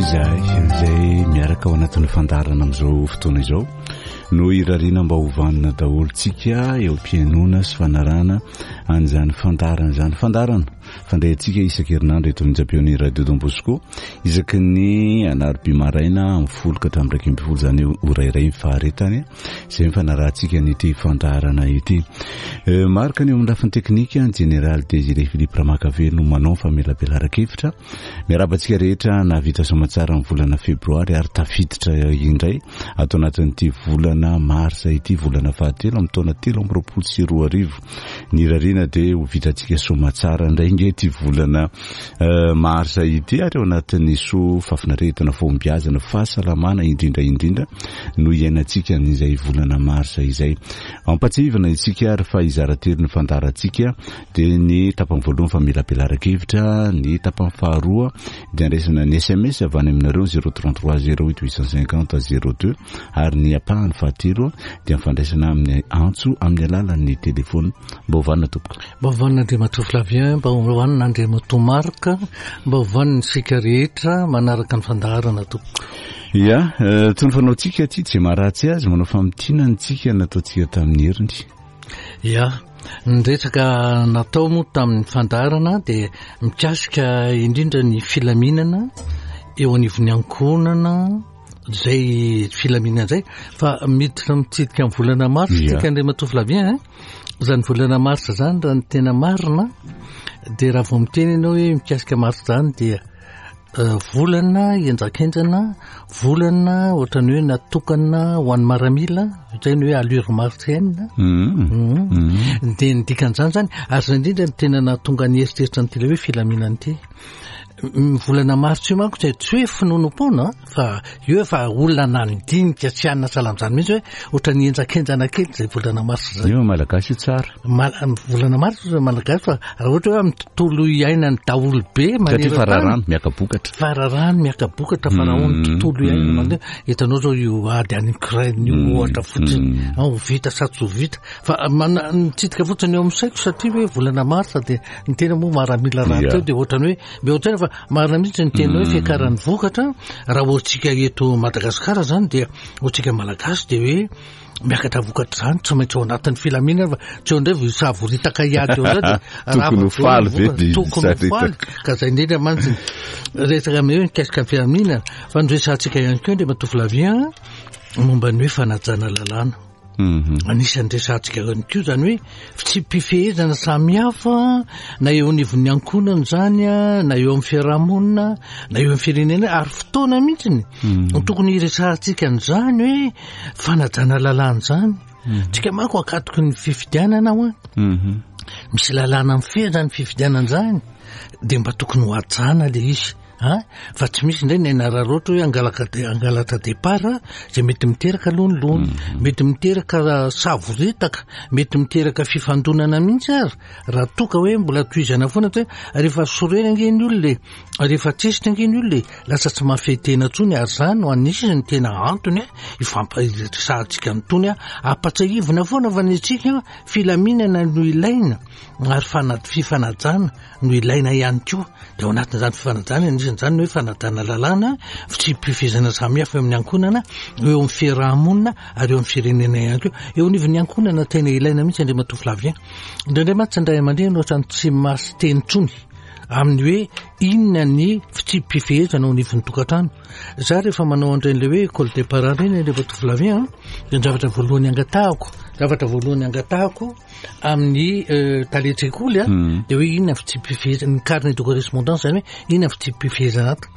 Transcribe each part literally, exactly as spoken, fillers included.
Izahay izay miaraka ao anatin'ny fandaharana amin'izao fotoana izao no irariana mba ho vanona daholo tsika eo am-pihainoana sy fanarahana an'izany fandaharana izany. Fandaharana fandray antsika isan-kerinandro eto amin'ny onjam-peon'ny Radio Don Bosco isaky ny alarobia maraina amin'ny folo ka hatramin'ny iraika ambin'ny folo, izany hoe ora iray ny faharetany izay mifanarahantsika an'ity fandaharana ity. Marc ny eo amin'ny lafiny teknika, ny Général Désiré Philippe Ramakavelo no manao ny famelabelaran-kevitra. Miarahaba antsika rehetra nahavita soamantsara ny volana febroary ary tafiditra indray ato anatin'ity volana marsa ity, volana fahatelo amin'ny taona telo amby roapolo sy roa arivo. Ny irariana dia ho vitantsika soamantsara indray nge ity volana marsa ity, ary ao anatin'ny soa, fahafinaretana, fahombiazana, fahasalamana indrindra indrindra no iainantsika an'izay volana marsa izay. Ampatsiahivana isika ary fa hizara telo ny fandaharantsika, dia ny tapany voalohany famelabelaran-kevitra, ny tapany faharoa dia andraisana ny S M S avy any aminareo zéro trente-trois zéro huit huit cent cinquante zéro deux, ary ny ampahany fahatelo dia mifandraisana amin'ny antso amin'ny alalan'ny telefona. Mba hovanina tompoko. Mba hovanina Andriamatoa Flavien, mba hovanina Andriamatoa Marc, mba hovanina isika rehetra manaraka ny fandaharana tompoko. Ya, toy ny fanaontsika aty tsy maharatsy azy manao famintinana tsika nataontsika tamin'ny heriny. Ya, ny resaka natao moa tamin'ny fandaharana dia mikasika indrindra ny filaminana eo anivon'ny ankohonana, zay filaminana zay, fa miditra mitsidika amin'ny volana marsa tsika, Andriamatoa Flavien. Zany volana marsa zany, raha ny tena marina dia raha vao miteny ianao hoe mikasika marsa zany dia volana enjakenjana, volana ohatrany hoe natokana ho an'ny maramila zay ny hoe allure martienne. Mm. De ny dikan'izany zany ary zay indrindra ny tena nahatonga ny eritreritra ny tele hoe filaminana ity volana martsa io manko zay tsy hoe finoanoam-poana fa io efa olona nandinika tsy anina salam'izany mihitsy hoe ohatra ny enjakenjana kely zay volana martsa zay. Io malagasy io tsara. Ma- volana martsa malagasy, fa raha ohatra hoe amin'ny tontolo iainany daholo be satria fararano miaka-bokatra. Fararano miaka-bokatra, farahony Mm, tontolo iainana mm. mandeha hitanao zao io ady any Ukraine io Mm, ohatra fotsiny mm. ah, ho vita sa tsy ho vita, fa mana- mitsidika fotsiny eo amin'ny saiko satria hoe volana marsa dia ny tena moa maramila raha Yeah. teo dia ohatrany hoe mbe ohatrany fa marina mihitsy ny tena hoe Mm. fiakaran'ny vokatra. Raha ohatsika eto Madagasikara zany dia ohatsika malagasy dia hoe miakatra vokatra zany tsy maintsy ao anatin'ny filaminana, fa tsy eo indray vo isavoritaka hiady eo zay dia Tokony ho faly ve dia tokony ho faly. Ka zay indrindra mantsy resaka ame hoe mikasika ny filaminana, fa nyresahantsika ihany koa Andriamatoa Flavien momba ny hoe fanajana lalàna. Mhm. Anisan'ny resahantsika ihany koa zany hoe fitsipi-pifehezana samihafa na eo anivon'ny ankohonana zany a, na eo amin'ny fiarahamonina, na eo amin'ny firenena, ary fotoana mihitsiny Mm. tokony hiresahantsika an'izany hoe fanajana lalàna zany. Tsika manko ankatoky ny fifidianana ao a, Mhm. misy lalàna mifehy zany fifidianana zany, de mba tokony ho hajana le izy a, fa tsy misy indray ny anararaotra hoe angalaka de angalatra départ zay mety miteraka lonilony, mety miteraka savoritaka, mety miteraka fifandonana mihitsy. Ary raha toka hoe mbola tohizana foana ty hoe rehefa sorena ange ny olona e, rehefa tsesitra ange ny olona e, lasa tsy mahafehy tena intsony. Ary zany no anisany ny tena antony a ifampiresahantsika nytony a, ampatsiahivina foana fa ny antsika filaminana no ilaina ary fana- fifanajana no ilaina ihany koa. De ao anatin'izany fifanajana, anisan'izany ny hoe fanajana lalàna, fitsipi-pifehezana samihafa eo amin'ny ankohonana, eo amin'ny fiarahamonina ary eo amin'ny firenena ihany koa. Eo anivon'ny ankohonana tena ilaina mihitsy, Andriamatoa Flavien. Indraindray mantsy ny ray aman-dreny ohatrany tsy masy teny intsony amin'ny hoe inona ny fitsipi-pifehezana ao anivon'ny tokantrano. Za rehefa manao an'ireny le hoe école des parents reny, Andriamatoa Flavien, de ny zavatra voalohany angatahako zavatra voalohany angatahako amin'ny euh, talen-tsekoly a Mm. de hoe inona fitsipi-pifehezana, ny carnet de correspondance zany, hoe inona fitsipi-pifehezana ato.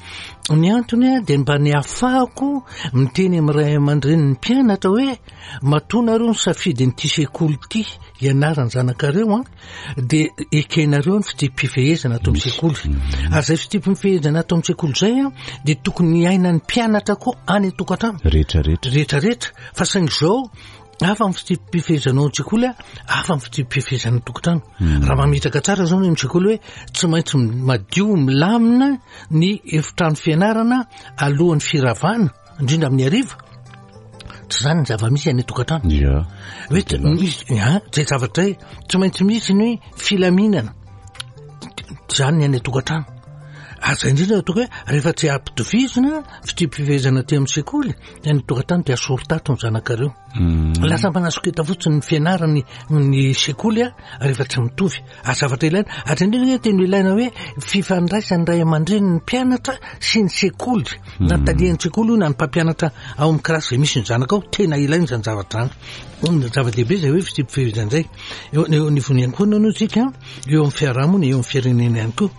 Ny antony a de mba ny ahafahako miteny amin'ny ray aman-dreny ny mpianatra hoe matoa nareo ny safidy nyity sekoly ity ianarany zanakareo a, de ekenareo ny fitsipi-pifehezana ato amin'ny sekoly. Ary zay fitsipi-pifehezana ato amin'ny sekoly zay a de tokony hiainan'ny mpianatra koa any an-tokantrano rehetrarehetra. Rehetrarehetra. Fa saingy zao hafa ny fitsipi-pifehezanao an-tsekoly a, hafa ny fitsipi-pifehezana an-tokantrano. Raha mametraka tsara zao ny amin'ny-tsekoly hoe tsy maintsy madio milamina ny efitrano fianarana alohan'ny firavana, indrindra amin'ny hariva, tsy zany ny zava-misy any an-tokantrano. Ya hoe tsy misy a zay zavatra zay, tsy maintsy misy ny hoe filaminana zany ny any an-tokantrano. Ary zay indrindra ataoko hoe rehefa tsy ampitovizina fitsipi-pifehezana aty amin'ny sekoly dia ny tokantrano dia asorotato ny zanakareo. Lasa manasoketa fotsiny ny fianarany ny sekoly a rehefa tsy mitovy. Ary zavatra ilaina, ary indrindra hoe tena ilaina hoe fifandraisan'ny ray aman-dreny ny mpianatra sy ny sekoly. Na talian'ny sekoly io na ny mpampianatra ao amin'ny kilasy izay misy ny zanaka ao, tena ilaina izany zavatra izany. Zava-dehibe izay hoe fitsipi-pifehezana izay. Eo eo anivon'ny ihany koa aloha tsika, eo amin'ny fiarahamonina, eo amin'ny firenena ihany koa.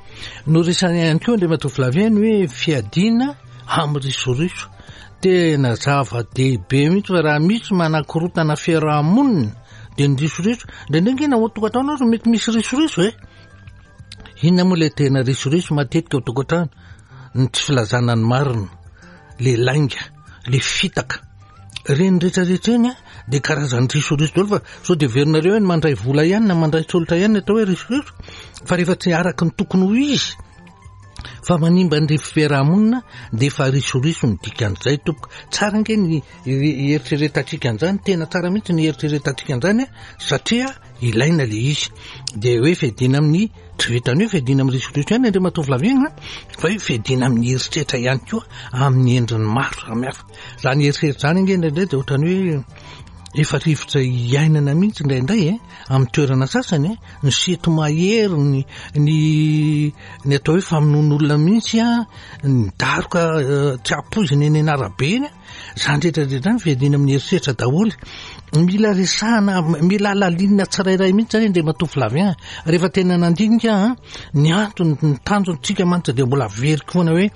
Noresahina ihany koa Andriamatoa Flavien ny hoe fiadiana amin'ny risoriso. Tena zava-dehibe mihitsy fa raha misy manakorotana fiarahamonina dia ny risoriso. Indraindray ange na ao an-tokantrano aza mety misy risoriso e. Inona moa ilay tena risoriso matetika ao an-tokantrano? Ny tsy filazana ny marina, le lainga, le fitaka. Ireny rehetrarehetra ireny a dia karazan'ny risoriso daholo fa sao dia heverinareo hoe ny mandray vola ihany na mandray tsolotra ihany ny atao hoe risoriso, fa rehefa tsy araka ny tokony ho izy fa manimba ny fiarahamonina dia efa risoriso ny dikan'izay tompoko. Tsara ange ny eritreretantsika an'izany, tena tsara mihitsy ny eritreretantsika an'izany a, satria ilaina le izy. Dia hoe fiadiana amin'ny, tsy vitan'ny hoe fiadiana amin'ny risoriso ihany Andriamatoa Flavien a, fa hoe fiadiana amin'ny herisetra ihany koa amin'ny endriny maro samihafa. Zany herisetra zany ange indraindray dia ohatran'ny hoe efa rivotra iainana mihitsy indraindray e, amin'ny toerana sasany e, ny seto mahery, ny, ny, ny atao hoe famonoan'olona mihitsy a, ny daroka tsy ampoizina eny an'arabe eny a, zany rehetrarehetra zany fiadiana amin'ny herisetra daholo. Mila resahana, mila alalinina tsirairay mihitsy zany Andriamatoa Flavien. Rehefa tena nandinika a, ny antony, ny tanjontsika mantsy dia mbola averiko foana hoe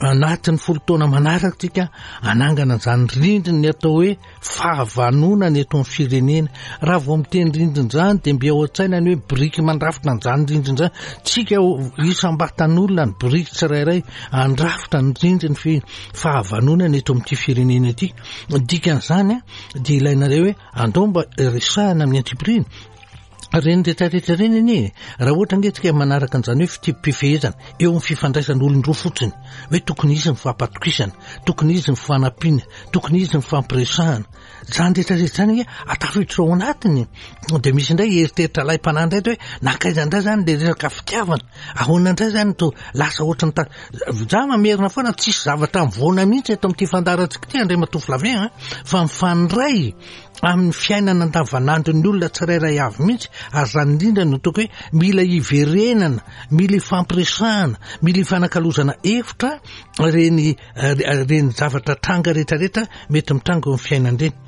anatin'ny folo taona manaraka tsika anangana an'izany rindriny ny atao hoe fahavanonana eto amin'ny firenena. Raha vao miteny rindrina izany dia mby ao an-tsaina ny hoe biriky mandrafitra an'izany rindrina izany. Tsika isam-batan'olona ny biriky tsirairay andrafitra ny rindriny fi-, fahavanonana eto amin'ity firenena ity. Ny dikan'izany a, dia ilainareo hoe andao mba resahana amin'ny antsipiriany. Ireny rehetrarehetra ireny anie, raha ohatra ange tsika manaraka an'izany hoe fitsipi-pifehezana eo amin'ny fifandraisan'olon-droa fotsiny, hoe tokony hisy ny fampatokisana, tokony hisy ny fanampiana, tokony hisy ny fampiresahana. Izany rehetrarehetra izany ange atafiditra ao anatiny. Dia misy indray eritreritra alaim-panahy indray hoe nankaiza indray izany ilay resaka fitiavana, ahoana indray izany to lasa ohatry ny ta-, za mamerina foana tsisy zavatra mivoana mihitsy eto amin'ity fandaharantsika ity Andriamatoa Flavien a, fa mifandray amin'ny fiainana andavanandron'ny olona tsirairay avy mihitsy. Ary izany indrindra no ataoko hoe mila iverenana, mila ifampiresahana, mila ifanakalozana hevitra ireny, ireny zavatra tranga rehetrarehetra mety mitranga eo amin'ny fiainana ireny.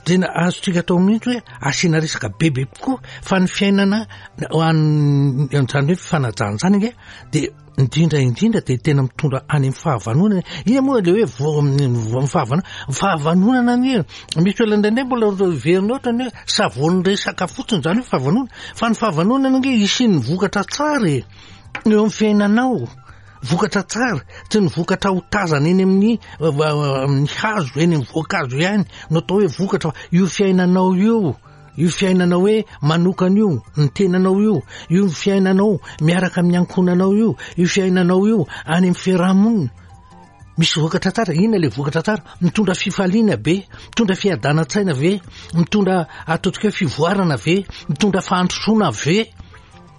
Tena azontsika atao mihitsy hoe asiana resaka bebe kokoa fa ny fiainana ho an'ny, izany hoe fifanajana izany ange dia indrindra indrindra dia tena mitondra any amin'ny fahavanonana. Inona moa ilay hoe vo-, vo-, ny fahavanonana? Ny fahavanonana anie, misy olona indraindray mbola heverina ohatra ny hoe savony resaka fotsiny izany hoe fahavanonana, fa ny fahavanonana ange hisian'ny vokatra tsara e, eo amin'ny fiainanao. Vokatra tsara, tsy ny vokatra ho tazana eny amin'ny, amin'ny hazo, eny amin'ny voankazo ihany no atao hoe vokatra, fa io fiainanao io, io fiainanao hoe manokana io, ny tenanao io, io fiainanao miaraka amin'ny ankohonanao io, io fiainanao io any amin'ny fiarahamonina. Misy vokatra tsara. Inona ilay vokatra tsara? Mitondra fifaliana be, mitondra fiadanan-tsaina ve, mitondra ataontsika hoe fivoarana ve, mitondra fandrosoana ve.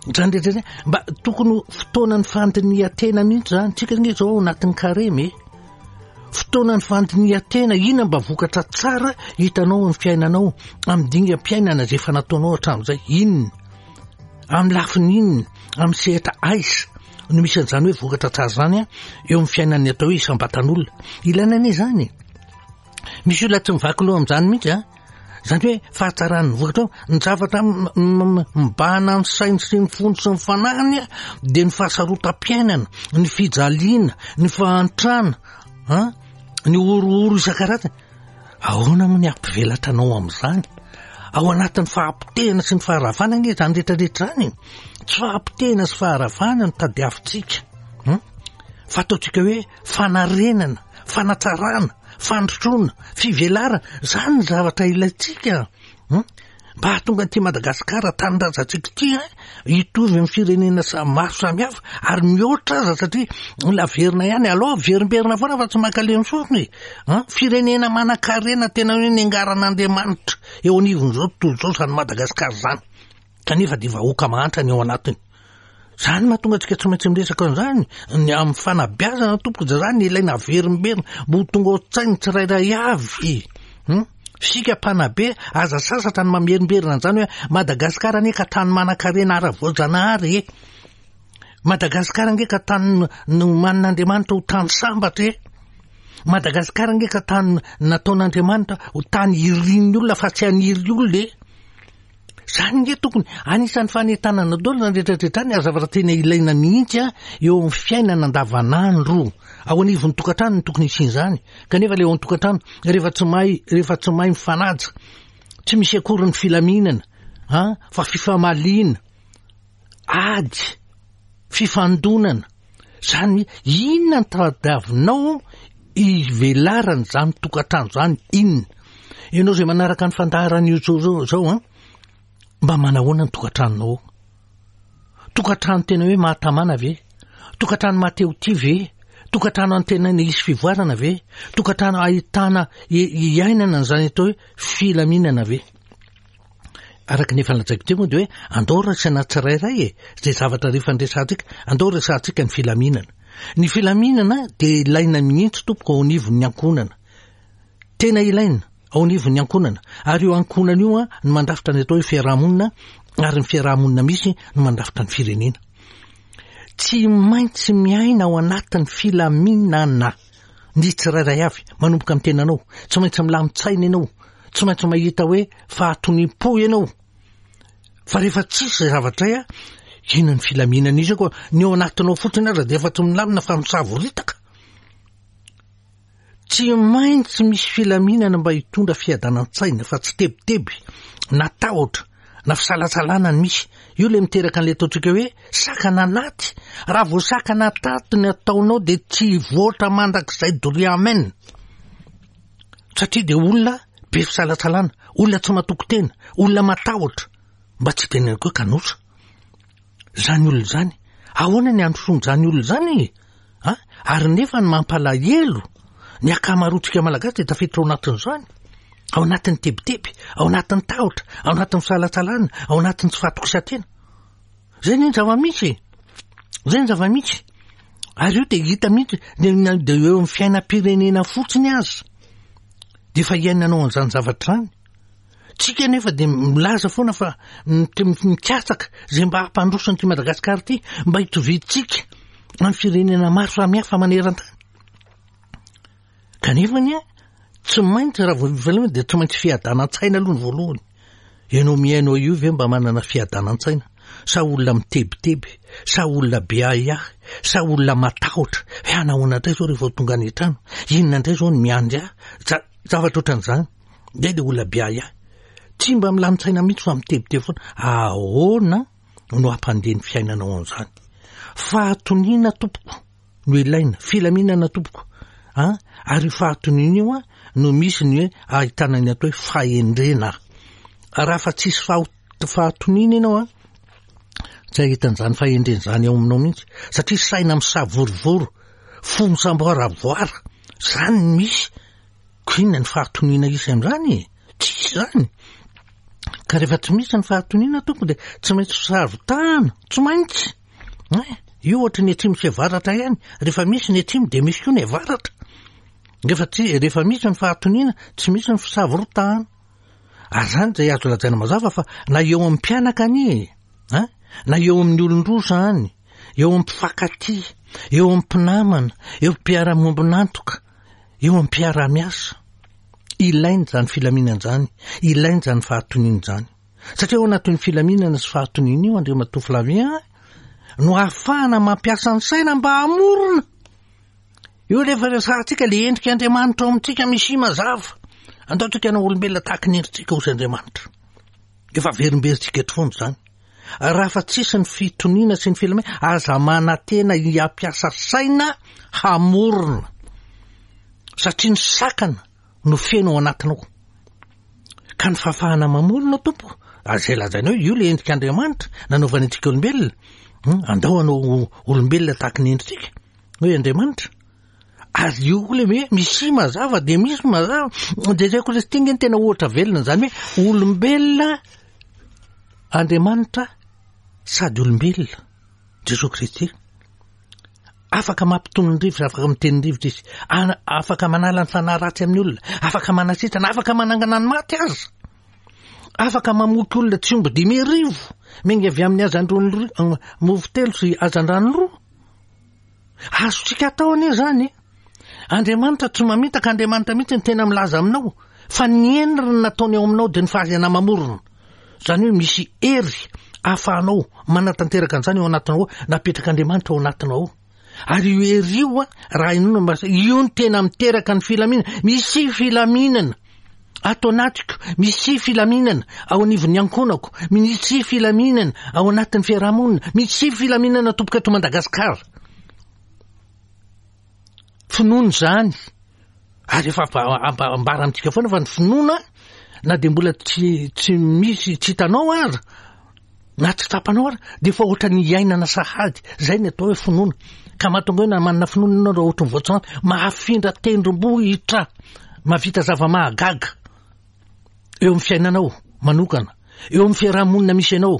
Izany rehetra izany, mba tokony ho fotoanan'ny fandinihan-tena mihitsy izany. Tsika anie izao ao anatin'ny karemy e. Fotoanan'ny fandinihan-tena, inona mba vokatra tsara hitanao amin'ny fiainanao, amin'ny dingam-piainana izay efa nataonao hatramin'izay, inona? Amin'ny lafiny inona? Amin'ny sehatra aiza no misy an'izany hoe vokatra tsara izany a, eo amin'ny fiainan'ny atao hoe isam-batan'olona. Ilaina anie izany e. Misy olona tsy mivaky loha amin'izany mihitsy a. Izany hoe fahatsaran'ny vokatra ao, ny zavatra mibahana ny sainy sy ny fony sy ny fanahiny dia ny fahasarotam-piainana, ny fijaliana, ny fahantrana, a, ny horohoro isan-karazany. Ahoana moa ny hampivelatra anao amin'izany? Ao anatin'ny fahapotehana sy ny faharavana anie izany rehetrarehetra izany. Tsy fahapotehana sy faharavana no tadiavintsika, hmm? Fa ataontsika hoe fanarenana, fanatsarana, fandrosoana, fivelarana, izany ny zavatra ilaintsika, hmm? Mba hahatonga an'ity Madagasikara tanindrazantsika ity, hein, hitovy amin'ny firenena sa-, maro samihafa ary mihoatra aza, satria mbola averina ihany, aleo averimberina foana fa tsy mankalemy sofina e. Hein, firenena manan-karena tena hoe niangaran'Andriamanitra eo anivon'izao tontolo izao izany Madagasikara izany, kanefa dia vahoaka mahantra ny ao anatiny. Zany mahatonga antsika tsy maintsy miresaka an'izany ny amin'ny fanabeazana tompoko, dia zany ilaina averimberina mba ho tonga ao an-tsain'ny tsirairay avy. Hmm? Isika mpanabe aza sasatra ny mamerimberina an'izany hoe Madagasikara anie ka tany manan-karena ara-voajanahary e. Madagasikara ange ka tany nomanin'Andriamanitra ho tany sambatra e. Madagasikara ange ka tany nataon'Andriamanitra ho tany irin'ny olona fa tsy haniry olona e. Zany nge tokony anisan'ny fanentanana daholo na rehetrarehetra any, ary zavatra tena ilaina mihitsy a eo amin'ny fiainana andavanandro. Ao anivon'ny tokantrano no tokony hisian'izany, kanefa le ao an-tokantrano rehefa tsy mahay, rehefa tsy mahay mifanaja, tsy misy akory ny filaminana, a fa fifamaliana, ady, fifandonana. Zany inona ny tadiavinao ivelarany zany tokantrano zany? Inona ianao zay manaraka ny fandaharana io zao zao an? Mba manahoana ny tokantranonao ao? Tokantrano tena hoe mahatamana ve? Tokantrano mahatehotia ve? Tokantrano antenaina hisy fivoarana ve? Tokantrano ahitana iainana an'izany atao hoe filaminana ve? Araka ny efa lazaiko teo moa dia hoe andao raisina tsirairay e, zay zavatra rehefa ndresantsika, andao resantsika ny filaminana. Ny filaminana dia ilaina mihitsy tompoko ao anivon'ny ankohonana. Tena ilaina ao anivon'ny ankohonana, ary io ankohonana io a no mandrafitra ny atao hoe fiarahamonina, ary ny fiarahamonina misy no mandrafitra ny firenena. Tsy maintsy miaina ao anatin'ny filaminana ny tsirairay avy, manomboka amin'ny tenanao. Tsy maintsy milamin-tsaina ianao, tsy maintsy mahita hoe fahatoniam-po ianao. Fa rehefa tsisy izay zavatra izay a, inona ny filaminana izy koa? Ny ao anatinao fotsiny aza dia efa tsy milamina fa misavoritaka. Tsy maintsy misy filaminana mba hitondra fiadanan-tsaina, fa tsy tebiteby na tahotra na fisalasalana ny misy. Io le miteraka an'ilay ataontsika hoe sakana anaty. Raha vao sakana tato ny ataonao dia tsy hivoatra mandrakizay doria, amen. Satria dia olona be fisalasalana, olona tsy matoky tena, olona matahotra, mba tsy teneniko hoe kanosa. Zany olona zany, ahoana ny androsoan'izany olona zany? A? Ary nefa ny mampalahelo, ny ankamaroantsika malagasy dia tafiditra ao anatin'izany. Ao anatin'ny tebiteby, ao anatin'ny tahotra, ao anatin'ny fisalasalana, ao anatin'ny tsy fahatokisan-tena. Zay ny zava-misy. Zay ny zava-misy. Ary io dia hita mihitsy, dia eo amin'ny fiainam-pirenena fotsiny aza. Dia efa iainanao an'izany zavatra izany. Tsika nefa dia milaza foana fa mikatsaka izay mba hampandroso an'ity Madagasikara ity, mba hitoviantsika amin'ny firenena maro samihafa maneran-tany. Kanefa ny tsy maintsy raha vao dia tsy maintsy fiadanan-tsaina aloha ny voalohany. Ianao mihaino io ve mba manana fiadanan-tsaina? Sa olona mitebiteby? Sa olona be ahiahy? Sa olona matahotra? Hoe anahoana indray zao rehefa tonga any an-trano? Inona indray zao ny miandry ahy? Zavatra ohatran'izany. Dia ilay olona be ahiahy. Tsy mba milamin-tsaina mihitsy fa mitebiteby foana. Ahoana no hampandeha ny fiainanao an'izany? Fahatoniana tompoko no ilaina, filaminana tompoko. A? Ary io fahatoniana io a no misy ny hoe ahitana ny atao hoe fahendrena. Raha fa tsisy fahatoniana ianao a, tsy ahita an'izany fahendrena izany ao aminao mihitsy, satria saina misavorovoro, fo misamboaravoara, zany ny misy. Ko inona ny fahatoniana isy amin'izany e? Tsisy zany. Ka rehefa tsy misy ny fahatoniana tompoko dia tsy maintsy fisavotahana, tsy maintsy. Eh, io ohatry ny atsimo sy avaratra ihany, rehefa misy ny atsimo dia misy koa ny avaratra. Rehefa tsy, rehefa misy ny fahatoniana, tsy misy ny fisavorotahana. Ary zany dia azo lazaina mazava fa na eo amin'ny mpianaka anie, eh, na eo amin'ny olon-droa zany, eo amin'ny mpifankatia, eo amin'ny mpinamana, eo amin'ny mpiara-miombon'antoka, eo amin'ny mpiara-miasa. Ilaina izany filaminana izany, ilaina izany fahatoniana izany. Satria ao anatin'ny filaminana sy fahatoniana io, Andriamatoa Flavien, no ahafahana mampiasa ny saina mba hamorona. Io rehefa resahantsika le endrika Andriamanitra ao amintsika misy mazava. Andao tsika hanao olombelona tahaka ny endritsika hoy Andriamanitra. Efa averimberintsika eto foana izany. Raha fa tsisy ny fitoniana sy ny filaminana, aza manantena hiampiasa saina hamorona. Satria ny sakana no feno ao anatinao. Ka ny fahafahana mamorona tompoko, izay lazainao io le endrika Andriamanitra nanaovany antsika olombelona. Andao hanao olombelona tahaka ny endritsika, hoe Andriamanitra. Ary io koa le hoe misy mazava dia misy mazava. Dia Kristy nge ny tena ohatra velona izany hoe olombelona Andriamanitra sady olombelona. Jesosy Kristy. Afaka mampitony ny rivotra, afaka miteny ny rivotra izy, afaka manala ny fanahy ratsy amin'ny olona, afaka manasitrana, afaka manangana ny maty aza, afaka mamoky olona tsy omby dimy arivo miainga avy amin'ny hazandrano mofo telo sy hazandrano roa. Azontsika atao anie zany. Andriamanitra tsy mamitaka, Andriamanitra mihitsy ny tena milaza aminao fa ny endriny nataony ao aminao dia ny fahaizana mamorona. Zany hoe misy hery ahafahanao manatanteraka an'izany ao anatinao ao, napetrak'Andriamanitra ao anatinao ao. Ary io hery io, raha inoana mba io no tena miteraka ny filaminana. Misy filaminana ato anatiko, misy filaminana ao anivon'ny ankohonako, misy filaminana ao anatin'ny fiarahamonina, misy filaminana tompoko eto Madagasikara. Finoana izany. Ary efa ambara amintsika foana fa ny finoana na dia mbola tsy tsy misy tsy hitanao aza na tsy tsapanao aza dia efa ohatran'ny iainana sahady. Zay ny atao hoe finoana. Ka mahatonga hoe na manana finoana ianao raha ohatran'ny voatsoahanty, mahafindra tendrombohitra, mahavita zava-mahagaga eo amin'ny fiainanao manokana, eo amin'ny fiarahamonina misy anao,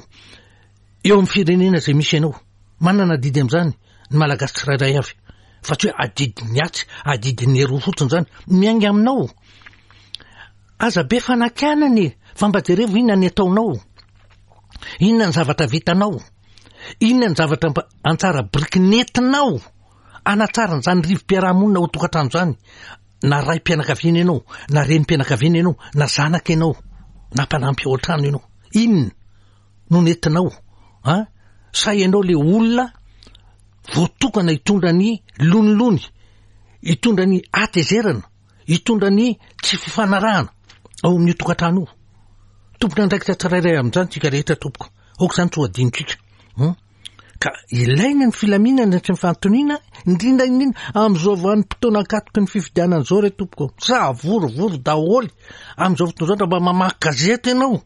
eo amin'ny firenena izay misy anao. Manana adidy amin'izany ny Malagasy tsirairay avy, fa tsy hoe adidin'ny atsy, adidin'ny eroa fotsiny izany. Miainga aminao. Aza be fanakianana e, fa mba jerevo inona ny ataonao, inona ny zavatra vitanao, inona ny zavatra mba antsara biriky nentinao anatsara an'izany rivo-piarahamonina ao tokantrano izany. Na ray-pianakaviana ianao, na renim-pianakaviana ianao, na zanaka ianao, na mpanampy ao an-trano ianao, inona no nentinao? A sa ianao le olona voatokana hitondra ny lonilony, hitondra ny hatezerana, hitondra ny tsy fifanarahana ao amin'io tokantrano io? Tompon'andraikitra tsirairay amin'izany tsika rehetra tompoko. Aoka izany tsy ho adinontsika. Ka ilaina ny filaminana sy ny fahantoniana, indrindra indrindra amin'izao vanim-potoana ankatoky ny fifidianana izao re tompoko. Savorovoro daholo amin'izao fotoana izao. Raha mba mamaky gazety ianao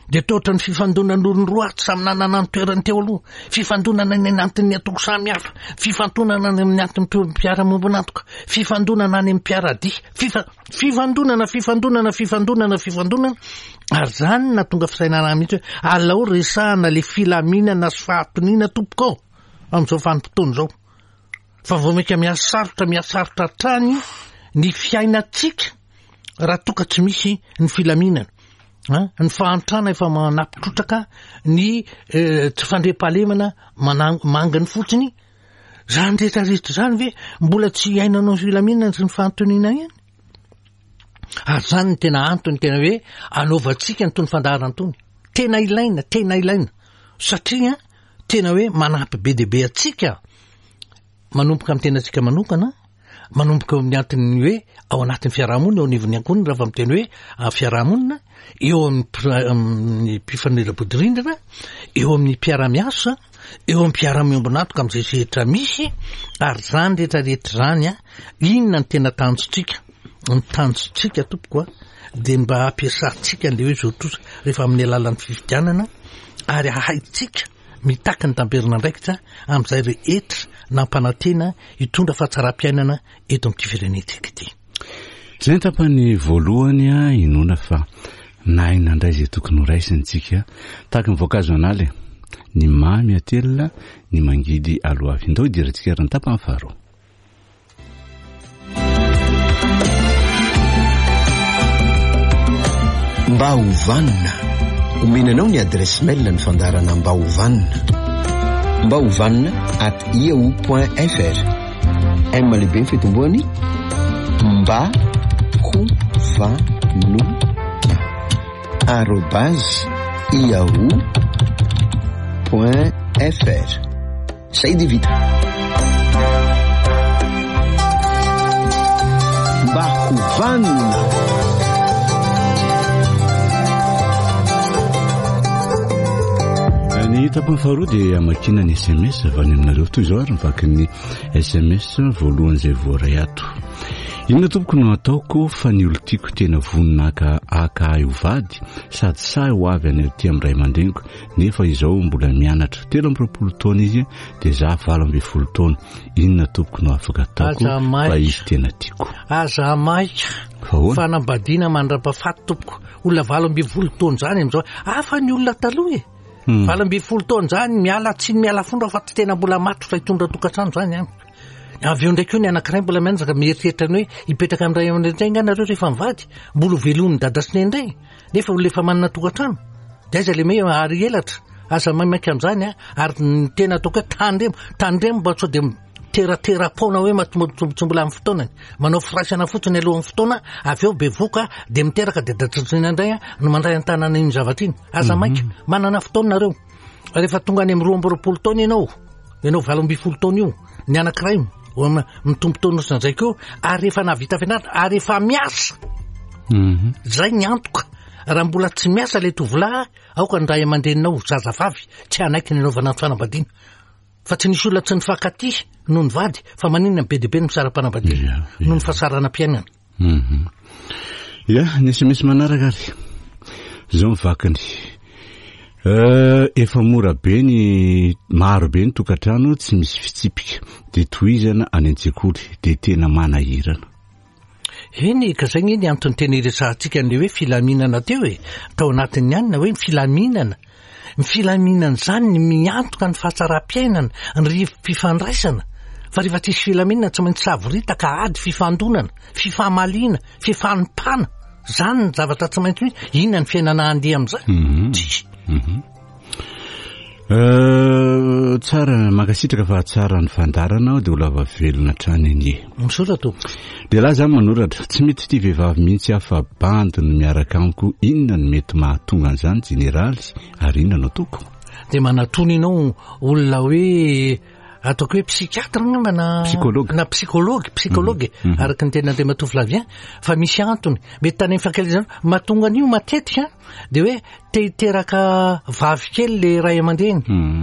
dia toa ohatran'ny fifandonan'olona roa tsy samy nanana ny toerany teo aloha, fifandonana any anatin'ny antoko samihafa, fifandonana any amin'ny anton'ny mpiara-miombon'antoka, fifandonana any amin'ny mpiara-dia, fifa-, fifandonana, fifandonana, fifandonana, fifandonana. Ary zany nahatonga fisainana mihitsy hoe alao resahana le filaminana sy fahatoniana tompoko amin'izao vanim-potoana izao, fa vao mainka mihasarotra, mihasarotra hatrany ny fiainantsika raha toa ka tsy misy ny filaminana. Ny fahantrana efa manapitrotraka, ny tsy fandriampahalemana manginy fotsiny. Zany rehetrarehetra zany ve mbola tsy iainanao ny filaminana sy ny fahantoniana ihany? Ary zany ny tena antony tena hoe anaovantsika ny tony fandaharana tony. Tena ilaina, tena ilaina, satria tena hoe manampy be dia be antsika manomboka amin'ny tenantsika manokana, manomboka eo amin'ny anton'ny hoe ao anatin'ny fiarahamonina, eo anivon'ny ankohonana, raha vao miteny hoe fiarahamonina, eo amin'ny mpifanila-bodirindrina, eo amin'ny mpiara-miasa, eo amin'ny mpiara-miombon'antoka amin'izay sehatra misy. Ary zany rehetrarehetra zany, inona ny tena tanjontsika? Ny tanjontsika tompoko a dia mba hampiasantsika an'ilay hoe zototra rehefa amin'ny alalan'ny fifidianana, ary hahaitsika mitaky ny tamberin'andraikitra amin'izay rehetra nampanantena hitondra fahatsaram-piainana eto amin'ity firenentsika ity. Izay ny tapany voalohany a inoana fa nahay nandray izay tokony ho raisintsika tahaka ny voankazo an'ala, ny mamy atelina, ny mangidy aloavy. Ndao hidirantsika ary ny tapany faharoa. Mba ho vanona. Omena anao ny adresse mail ny fandaharana Mba ho vanona. Mba ho vanona at yahoo point fr. M lehibe ny fitomboany. Mba ho vanona arobase yahoo point fr. Zay dia vita. Mba ho vanona. Ny tapany faharoa dia amakiana ny S M S avy any aminareo. Toy izao ary ny vakin'ny S M S voalohany izay voaray ato. Inona tompoko no ataoko fa ny olon-tiako tena vonona haka, haka ahy ho vady sady sahy ho avy any aty amin'ny ray aman-dreniko, nefa izao mbola mianatra. Telo amby roapolo taona izy dia za valo ambin'ny folo taona. Inona tompoko no afaka ataoko Aza maika. fa izy tena tiako? Aza maika. Fa ahoana? Fanambadiana mandra-pahafaty tompoko. Olona valo ambin'ny folo taona izany amin'izao. Hafa ny olona taloha e. Hmm. Valo ambin'ny folo taona zany, miala tsiny miala fondra fa tsy tena mbola matotra hitondra tokantrano zany any. Avy eo ndraiky eo ny anankiray mbola mianjaka mieritreritra ny hoe hipetraka amin'ny ray aman-dreny indray nga nareo rehefa mivady, mbola ho velomin'ny dada sy neny indray, nefa olona efa manana tokantrano. De aiza le hoe ary elatra, aza maimaika amin'izany a, ary ny tena ataoko hoe tandremo, tandremo mba sao de teratera-poana hoe matombo tsy mbola amin'ny fotoanany, manao firaisana fotsiny alohan'ny fotoana, avy eo bevoka de miteraka de dadatsina indray a no mandray an-tanana iny zavatra iny. Aza maika, manana fotoana nareo. Rehefa tonga any amin'ny roa amby roapolo taona ianao, ianao valo ambin'ny folo taona io, ny anankiray mitombo taona sy ndraiky eo, ary efa nahavita fianarana, ary efa miasa. Zay ny antoka. Raha mbola tsy miasa le tovolahy, aoka ny ray aman-dreninao zazavavy tsy hanaiky ny anaovana ny fanambadiana. Fa tsy nisy olona tsy nifankatia noho ny vady, fa maninona ny be dia be no misara-panambadiana noho ny fahasaranam-piainana. Ya, ny S M S manaraka ary zao mivakiny. Efa mora be ny maro be ny tokantrano tsy misy fitsipika, de tohizana any an-tsekoly, de tena manahirana. Eny, ka zay ny antony tena iresahantsika an'ilay hoe filaminana teo e, tao anatin'ny anina hoe ny filaminana. Ny filaminana zany ny miantoka ny fahatsaram-piainana, ny rivo-pifandraisana. Fa rehefa tsisy filaminana tsy maintsy savoritaka, ady, fifandonana, fifamaliana, fifanompana. Zany ny zavatra tsy maintsy misy. Inona ny fiainana handeha amin'izany? Tsisy. Tsara, mankasitraka fa tsara ny fandaharana, dia ho lava velona hatrany anie. Misaotra tompoko. Dia lahy zany manoratra, tsy mety tia vehivavy mihitsy aho fa bandy no miaraka amiko, inona no mety mahatonga an'izany jeneraly ary inona no ataoko? Dia manatona ianao olona hoe ataoko hoe psychiatre angamba na Psychologue. Na psychologue, psychologue, araka ny tena Andriamatoa Flavien, fa misy antony. Mety tany amin'ny fankalazana mahatonga an'io matetika dia hoe te hiteraka vavy kely le ray aman-dreny,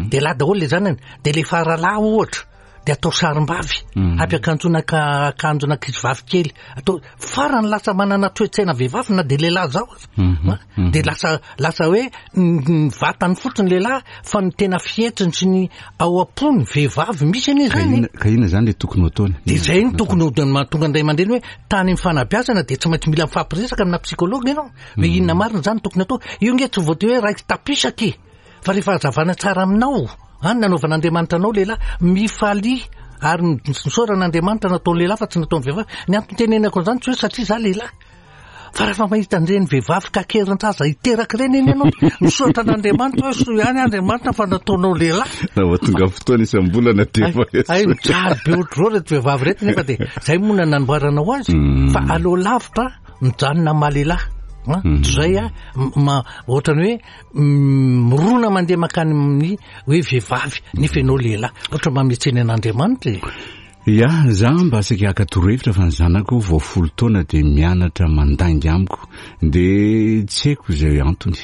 dia lahy daholo le zanany, dia le faralahy ohatra dia atao sarim-bavy, ampiakanjoana ka-, akanjona ankizivavy kely, atao farany lasa manana toe-tsaina vehivavy na dia lehilahy zao aza. Dia lasa, lasa hoe ny vatany fotsiny lehilahy fa ny tena fihetsiny sy ny ao am-pony vehivavy misy anie zany. Ka inona zany le tokony ho ataony? Dia zay no tokony ho mahatonga ny ray aman-dreny hoe tany amin'ny fanabeazana dia tsy maintsy mila mifampiresaka amina psychologue ianao. Hoe inona marina zany tokony atao? Io nge tsy voatery hoe raiki-tapisaka e. Fa rehefa hazavana tsara aminao, any nanaovan'Andriamanitra anao lehilahy, mifalia ary misaorana Andriamanitra nataony lehilahy fa tsy nataony vehivavy. Ny antony tenenako an'izany tsy hoe satria za lehilahy. Fa rehefa mahita an'ireny vehivavy kakerin-jaza hiteraka ireny eny ianao, misaotra an'Andriamanitra hoe soa ihany Andriamanitra fa nataonao lehilahy. Raha vao tonga fotoana isam-bolana dia Ay, efa ay, mijaly be ohatr'izao ireto vehivavy ireto nefa dia zay moa no nanamboaranao azy. Fa aleo lavitra mijanona maha lehilahy. Ha? Toy izay a, ma-, ohatrany hoe, mm, mirona mandeha mankany amin'ny hoe vehivavy nefa ianao lehilahy. Ohatra mba mihetsena an'Andriamanitra e. Ya, za mba saika haka torohevitra fa ny zanako vao folo taona dia mianatra mandainga amiko, dia tsy haiko izay antony.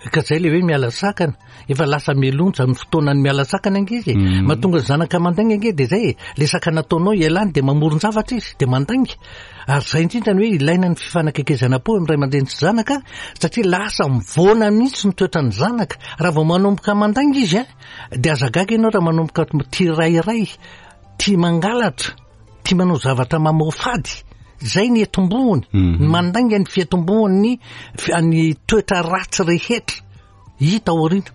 Ka zay le hoe miala sakana, efa lasa melonja ny fotoanany miala sakana ankizy e. Mahatonga ny zanaka mandainga ange dia zay e, le sakana ataonao ialany dia mamoron-javatra izy dia mandainga. Ary zay indrindra ny hoe ilaina ny fifanakaikezana po amin'ny ray aman-dreny sy zanaka, satria lasa mivoana mihitsy ny toetran'ny zanaka. Raha vao manomboka mandainga izy a, dia aza gaga ianao raha manomboka tia rairay, tia mangalatra, tia manao zavatra mamoafady. Zay ny etombohony, ny mandainga ny fiatombohony fi-, ny toetra ratsy rehetra hita aoriana.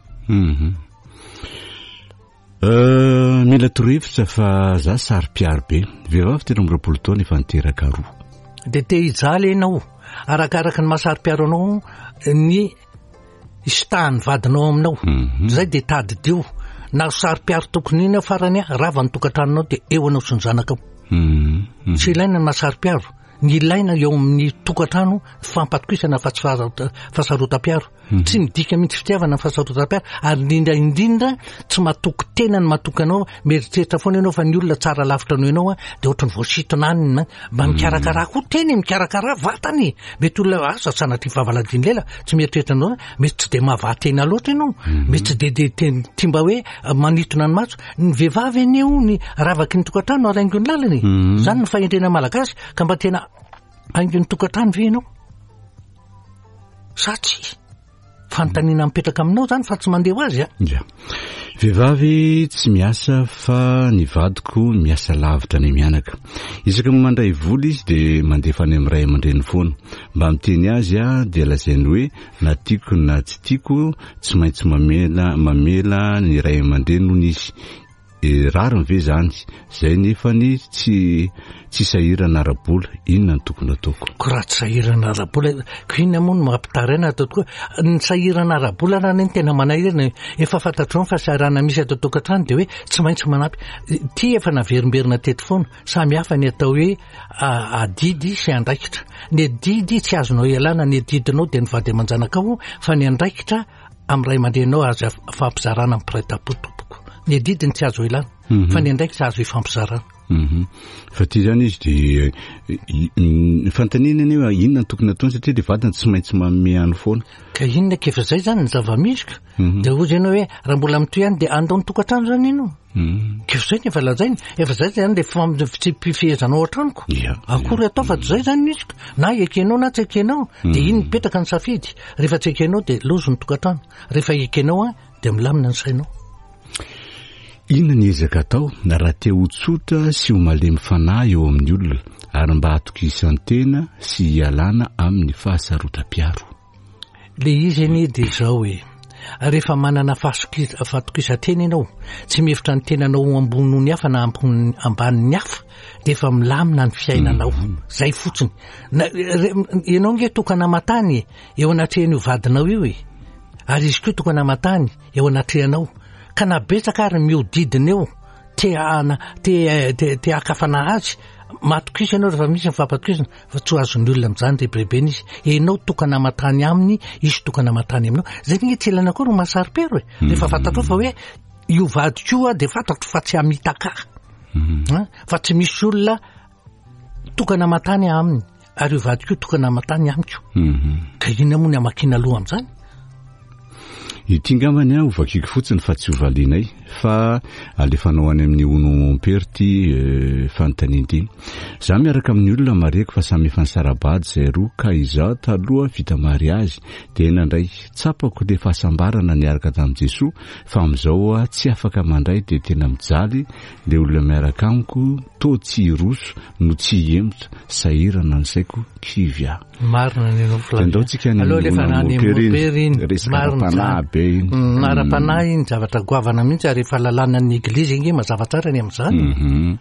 Euh, mila torohevitra fa za saro-piaro be. Vehivavy telo amby roapolo taona efa niteraka roa. Dia te hijaly ianao, arakaraka ny mahasaro-piaro anao ny isitahan'ny vadinao aminao. Zay dia tadidio. Na saro-piaro tokony iny farany, rava ny tokantranonao dia eo anao sy ny zanakao. Tsy ilaina ny mahasaro-piaro. Ny ilaina eo amin'ny tokantrano fampatokisana fa tsy faha-, fahasarotam-piaro. Tsy midika mihitsy fitiavana ny fahasarotam-piaro, ary indrindra indrindra tsy matoky tena ny matoky anao, mieritreritra foana ianao fa ny olona tsara lavitra noho ianao a, dia ohatran'ny voasintona any na mba mikarakara koa teny, mikarakara vatany. Mety olona asa sanatria fahavaladiany lela, tsy mieritreritra anao, mety tsy dia mahavaha-tena loatra ianao, mety tsy dia, dia te-, tia mba hoe manintona ny maso. Ny vehivavy anie io ny ravaky ny tokantrano ary haingon'ny lalana e. Zany ny fahendrena malagasy, ka mba tena haingon'ny tokantrano ve ianao? Sa tsy? Fanontaniana mipetraka aminao zany fa tsy mandeha ho azy a. Ya. Vehivavy tsy miasa fa ny vadiko miasa lavitra any mianaka. Isaka mandray vola izy dia mandefa any amin'ny ray aman-dreny foana. Mba miteny azy a dia lazainy hoe na tiako na tsy tiako tsy maintsy mamela mamela ny ray aman-dreny hono izy. E, rariny ve zany? Zay nefa ny tsy tsy sahirana ara-bola, inona no tokony ataoko? Ko raha tsy sahirana ara-bola, ko inona moa no mampitaraina atao tokoa? Ny sahirana ara-bola raha ny tena manahirana, efa fantatrao ny fahasahiranana misy ato an-tokantrano dia hoe tsy maintsy manampy. Ty efa naverimberina teto foana, samy hafa ny atao hoe adidy sy andraikitra. Ny adidy tsy azonao ialana, ny adidinao dia ny vady aman-janakao, fa ny andraikitra amin'ny ray aman-dreninao azo fampizarana amin'ny mpiray tampo tompoko. Ny adidiny tsy azo ilana, fa ny andraikitra azo ifampizarana. Fa ty zany izy dia ny fanontaniana anie hoe inona no tokony ataony satria le vadiny tsy maintsy manome any foana. Ka inona ka efa zay zany ny zava-misy ka. Dia hoy ianao hoe raha mbola mitohy ihany dia andao ny tokantrano zany ianao. Ka efa zay ny efa lazainy, efa zay zany le fitsipifehezanao an-tranoko. Akory atao fa tsy zay zany misy ka. Na ekenao na tsy ekenao, dia iny mipetraka ny safidy. Rehefa tsy ekenao dia lozo ny tokantrano. Rehefa ekenao a dia milamina ny sainao. Inona ny ezaka atao raha te ho tsotra sy ho malemy fanahy eo amin'ny olona ary mba hatokisan-tena sy hialana amin'ny fahasarotam-piaro? Le izy anie dia izao hoe rehefa manana fahatokisan-tena ianao, tsy mihevitra ny tenanao ho ambony noho ny hafa na ambanin'ny hafa, dia efa milamina ny fiainanao. Zay fotsiny. Ianao nge tokana aman-tany eo anatrehan'io vadinao io e, ary izy koa tokana aman-tany eo anatrehanao. Ka na betsaka ary mihodidina eo te ana te te te hakafana azy, matokisa ianao rehefa misy ny fampatokisana fa tsy ho azon'ny olona amin'izany rebirebena izy. Ianao tokana aman-tany aminy, izy tokana aman-tany aminao. Zay nge tsy ilaina koa ro mahasaro-pero e. Rehefa fantatrao fa hoe io vadiko io a dia fantatro fa tsy hamitaka ahy. Fa tsy misy olona tokana aman-tany aminy ary io vadiko io tokana aman-tany amiko. Ka inona moa ny hamakiana loha amin'izany? Ity angambany a hovakiko fotsiny fa tsy hovalinay fa alefanao any amin'ny ono mompera ty fanontaniana ity. Za miaraka amin'ny olona mareko fa samy efa nisara-bady zay roa ka izaho taloha vita mariazy dia nandray tsapako le fahasambarana niaraka tamin'i Jesoa fa amin'izao a tsy afaka mandray dia tena mijaly le olona miaraka amiko to tsy hiroso no tsy hihemotra, sahirana ny saiko, kivy aho. Marina ny anao Flavien. Andao tsika ny Aleo alefa ono any mompera iny. mompera iny. Resaka Marina ara-panahy zany. be iny. Mm, ara-panahy iny zavatra goavana mihitsy ary efa lalànan'ny eglizy ange mazava tsara ny amin'izany. Mhm.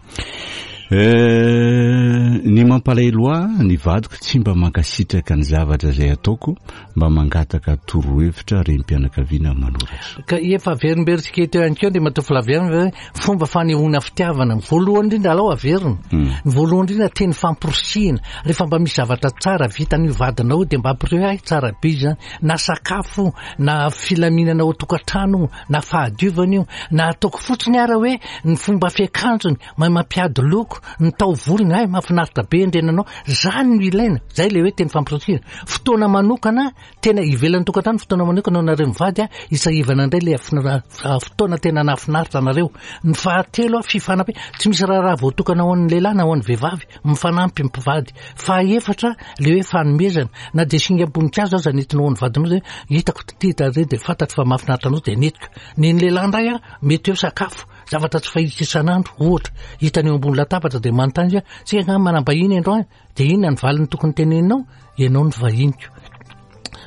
Eh, ny mampalahelo ahy ny vadiko tsy mba mankasitraka ny zavatra izay ataoko, mba mangataka torohevitra renim-pianakaviana manoratra. Ka efa averimberitsika eto ihany koa Andriamatoa Flavien hoe fomba fanehoana fitiavana. Ny voalohany indrindra alao averina. Ny voalohany indrindra teny famporisihina. Rehefa mba misy zavatra tsara vitan'io vadinao dia mba ampiriho ahy tsara be izany. Na sakafo, na filaminana ao an-tokantrano, na fahadiovana io, na ataoko fotsiny ara hoe ny fomba fiakanjony, mahay mampiady loko, ny taovolony, ay mahafinaritra be andrenanao. Zany no ilaina. Zay le hoe teny famporisihina. Fotoana manokana tena ivelan'ny tokantrano, fotoana manokana ho anareo mivady a, isahivana indray le afina-, fotoana tena nahafinaritra anareo. Ny fahatelo a, fifanampy. Tsy misy raharaha voatokana ho an'ny lehilahy na ho an'ny vehivavy, mifanampy mpivady. Fahaefatra le hoe fanomezana, na dia singam-boninkazo aza nentinao ho an'ny vadinao zay, hitako ty tare dia fantatro fa mahafinaritra anao dia nentiko. Ny ny lehilahy indray a, mety eo sakafo, zavatra tsy fahita isan'andro, ohatra, hitany eo ambony latabatra dia manontany izy, tsy angaha manam-bahiny androany, dia inona ny valiny tokony teneninao? Ianao no vahiniko.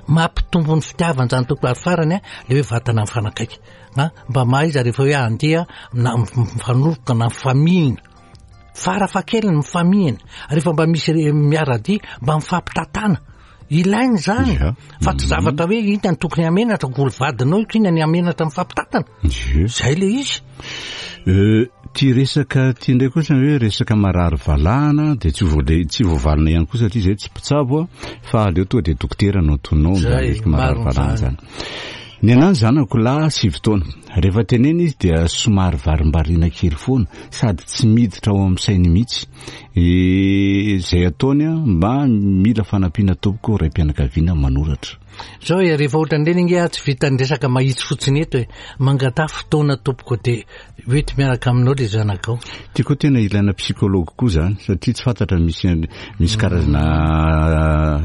Mampitombo ny fitiavana izany tompoko. Ary farany a, le hoe vatana mifanakaiky. Ha? Mba mahaiza rehefa hoe andeha na mifanoroka na mifamihina. Farafahakeliny mifamihina. Rehefa mba misy re-, miara-dia mba mifampitatana. Ilaina izany. Ia. Fa tsy zavatra hoe inona ny tokony hamenatra, ko olo vadinao io, inona ny hamenatra mifampitatana. Ie. Zay le izy. Euh, ty resaka ty indray kosa hoe resaka marary valahana dia tsy voale-, tsy voavalina ihany koa satria zay tsy mpitsabo a, fa aleo tonga dia dokotera no antononao Zay, mba resaka marary marina valahana zany. zany. Ny anahy zanako lahy sivy taona. Rehefa tenena izy dia somary varimbariana kely foana sady tsy miditra ao amin'ny sainy mihitsy. E, zay ataony a, mba mila fanampiana tompoko ray-pianakaviana manoratra. Zao e, rehefa ohatran'ireny ange aho tsy vitan'ny resaka mahitsy fotsiny eto e. Mangataha fotoana tompoko dia hoety miaraka aminao le zanakao. Ty koa tena ilaina psychologue koa zany satria tsy fantatra misy, misy karazana,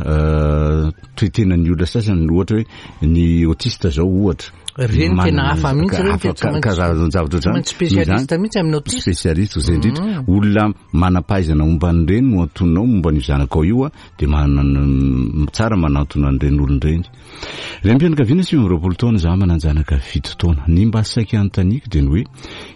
euh, toetenan'ny olona sasany, ohatra hoe ny autiste zao ohatra. Reny tena hafa mihitsy reny, hafa tena tsy maintsy- karazan-javatra tsy maintsy spécialiste mihitsy amin'ny autiste. Spécialiste zay indrindra, olona manam-pahaizana momba an'ireny no antononao momba an'io zanakao io a, de manana tsara manantona an'ireny olona ireny. Renim-pianakaviana sivy amby roapolo taona za, manan-janaka fito taona. Ny mba saika anontaniako de ny hoe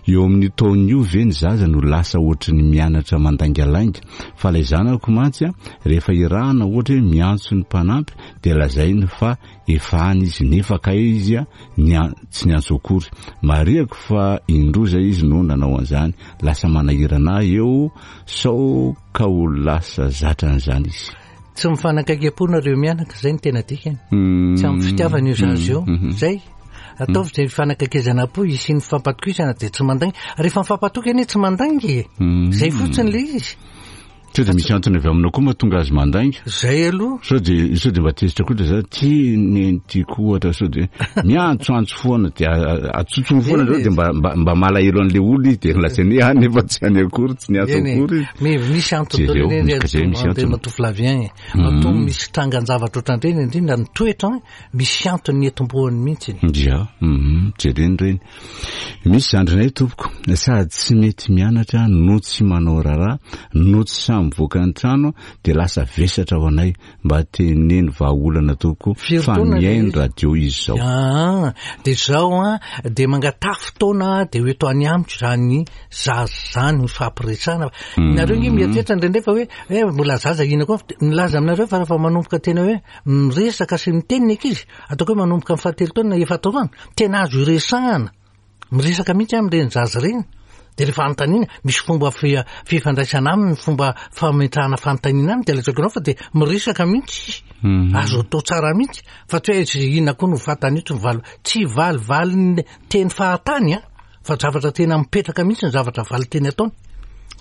eo amin'ny taona io ve ny zaza no lasa ohatry ny mianatra mandaingalainga? Fa ilay zanako mantsy a, rehefa irahana, ohatra hoe miantso ny mpanampy, de lazainy fa efa any izy, nefa kay izy a ny tsy niantso akory. Mariako fa indroa zay izy no nanao an'izany. Lasa manahirana ahy eo sao ka ho lasa zatra an'izany izy. Tsy mifanakaiky am-po nareo mianaka, zay ny tena dikany. Mm. Tsy amin'ny fitiavana io zaza io. Mm. Zay ataovy zay fifanakaikezana am-po isian'ny fifampatokisana, de tsy mandainga. Rehefa mifampatoky anie tsy mandainga e. Mm. Zay fotsiny le izy. Sao de misy antony avy aminao koa mahatonga azy mandainga? Zay aloha. Sao de sao de mba tezitra koa de za ty neny tiako ohatra, sao de miantsoantso foana, de atsotsony foana zao, de mba mba mba malahelo an'le olona izy, de lazainy hoe ah, nefa tsy any akory, tsy niantso Eny e. akory izy. Mi- misy antony Jereo, daholo misy- zay misy antony. Andriamatoa Flavien e. Matoa misy trangan-javatra ohatran'ireny, indrindra ny toetra, misy antony ny etombohany mihitsy. Dia mhm, jereny reny. Misy zandrinay tompoko, sady tsy mety mianatra no tsy manao raharaha no tsy samy mivoaka ny trano, de lasa vesatra ho anay. Mba teneno vahaolana tompoko, Firy fa taona le mihaino izy? radio izy zao. Ah, de zao a, de mangataha fotoana, de ho eto any amiko zany zaza zany, mifampiresahana. Nareo nge mieritreritra indraindray fa hoe eh, mbola zaza ina koa. Milaza aminareo fa rehefa manomboka tena hoe miresaka sy miteny ny ankizy, ataoko hoe manomboka amin'ny fahatelo taona, efa taona, tena azo iresahana, miresaka mihitsy amin'ireny zaza ireny. De rehefa anontaniana, misy fomba fi- fifandraisana aminy, fomba fametrahana fanontaniana aminy, de lazaiko anao fa de miresaka mihitsy izy. Mhm. Azo atao tsara mihitsy, fa tsy hoe izy inona koa no fatany io, tsy mivaly, tsy valivaliny teny fahatany a, fa zavatra tena mipetraka mihitsy ny zavatra valy teny ataony.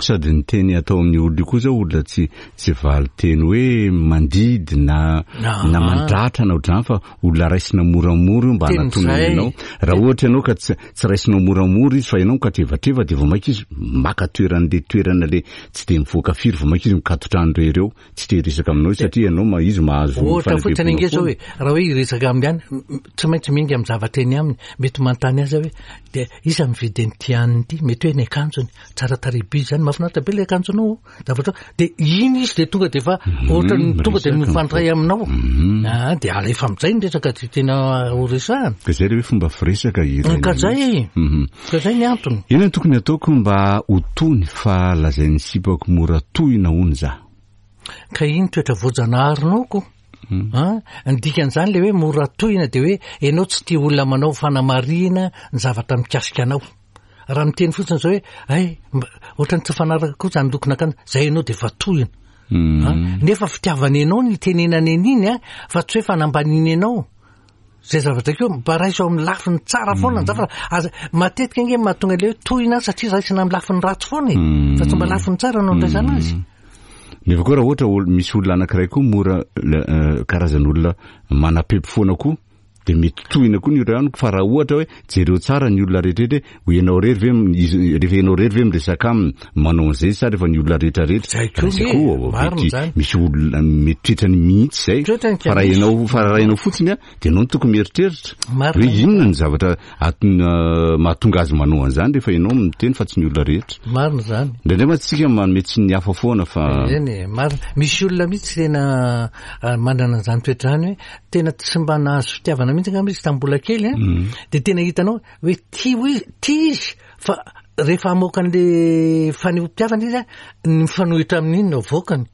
Sady ny teny atao amin'ny olona io koa zao, olona tsy tsy valy teny hoe mandidy na Ah. na mandratra na ohatr'izany, fa olona raisina moramora io mba Teny hanatonana zay. ianao. Raha ohatra ianao ka tsy tsy raisinao moramora izy, fa ianao mikatrevatreva, de vao mainka izy maka toeran'le toerana le tsy de mivoaka firy, vao mainka izy mikatotrano rery eo, tsy te hiresaka aminao izy, satria ianao ma izy mahazo Ohatra fotsiny fanebebona ange zao foana. hoe raha hoe hiresaka aminy any, m- m- tsy maintsy miainga amin'ny zavatra eny aminy. Mety manontany azy hoe de iza mividy an'ity hanina ity, mety hoe ny akanjony tsara tarehy be zany, mahafinaritra be le akanjonao, zavatra de iny izy de tonga de fa ohatra ny tonga de miresaka, mifandray aminao. Mhm. Ah, de alefa amin'izay ny resaka ty tena ho resahana. Ka zay le hoe fomba firesaka ilaina Ka zay mihitsy. Mhm. ka zay ny antony. Inona no tokony ataoko mba ho tony, fa lazain'ny sipako mora tohina hono za? Ka iny toetra voajanaharinao ko. Ah, ny dikan'izany le hoe mora tohina, de hoe ianao tsy tia olona manao fanamarihana ny zavatra mikasika anao. Raha miteny fotsiny zao hoe ay, mba- ohatran'ny tsy fanaraka koa zany lokon'akanjo zay ianao, de fa tohina. Mm. Ah, nefa fitiavana ianao ny itenenana an'iny a, fa tsy hoe fanambanina ianao zay zavatra keo. Mba raiso amin'ny lafiny tsara foana ny zavatra. Aza matetika ange mahatonga le hoe tohina, satria raisina amin'ny lafiny ratsy foana e, fa tsy mba lafiny tsara no andraisana azy. Nefa koa raha ohatra olo- misy olona anankiray koa mora le- eh, karazan'olona manapepy foana koa, de mety tohina koa ny olona ihany. Fa raha ohatra hoe jereo tsara ny olona rehetrarehetra hoe ianao rery ve m- izy- rehefa ianao rery ve miresaka aminy manao an'izay, sa rehefa ny olona rehetrarehetra? Zay koa Zay nge, koa, marina mety zany. misy olona mety toetrany mihitsy zay. Toetrany ka Fa raha misy. ianao fa raha ianao fotsiny a, de ianao no tokony mieritreritra Marina. hoe inona ny zavatra aton- eh, mahatonga azy manao an'izany, rehefa ianao miteny fa tsy ny olona rehetra. Marina zany. Indraindray mantsy tsika manome tsiny ny hafa foana fa Eny e, marina. Misy olona mihitsy tena ah, manana an'izany toetra zany, hoe tena tsy mba nahazo fitiavana mihitsy angamba izy tamin'ny mbola kely a, de tena hitanao hoe tia hoe tia izy, fa rehefa hamoaka an'le fanehoam-pitiavana izy a, ny mifanohitra amin'iny no avoakany,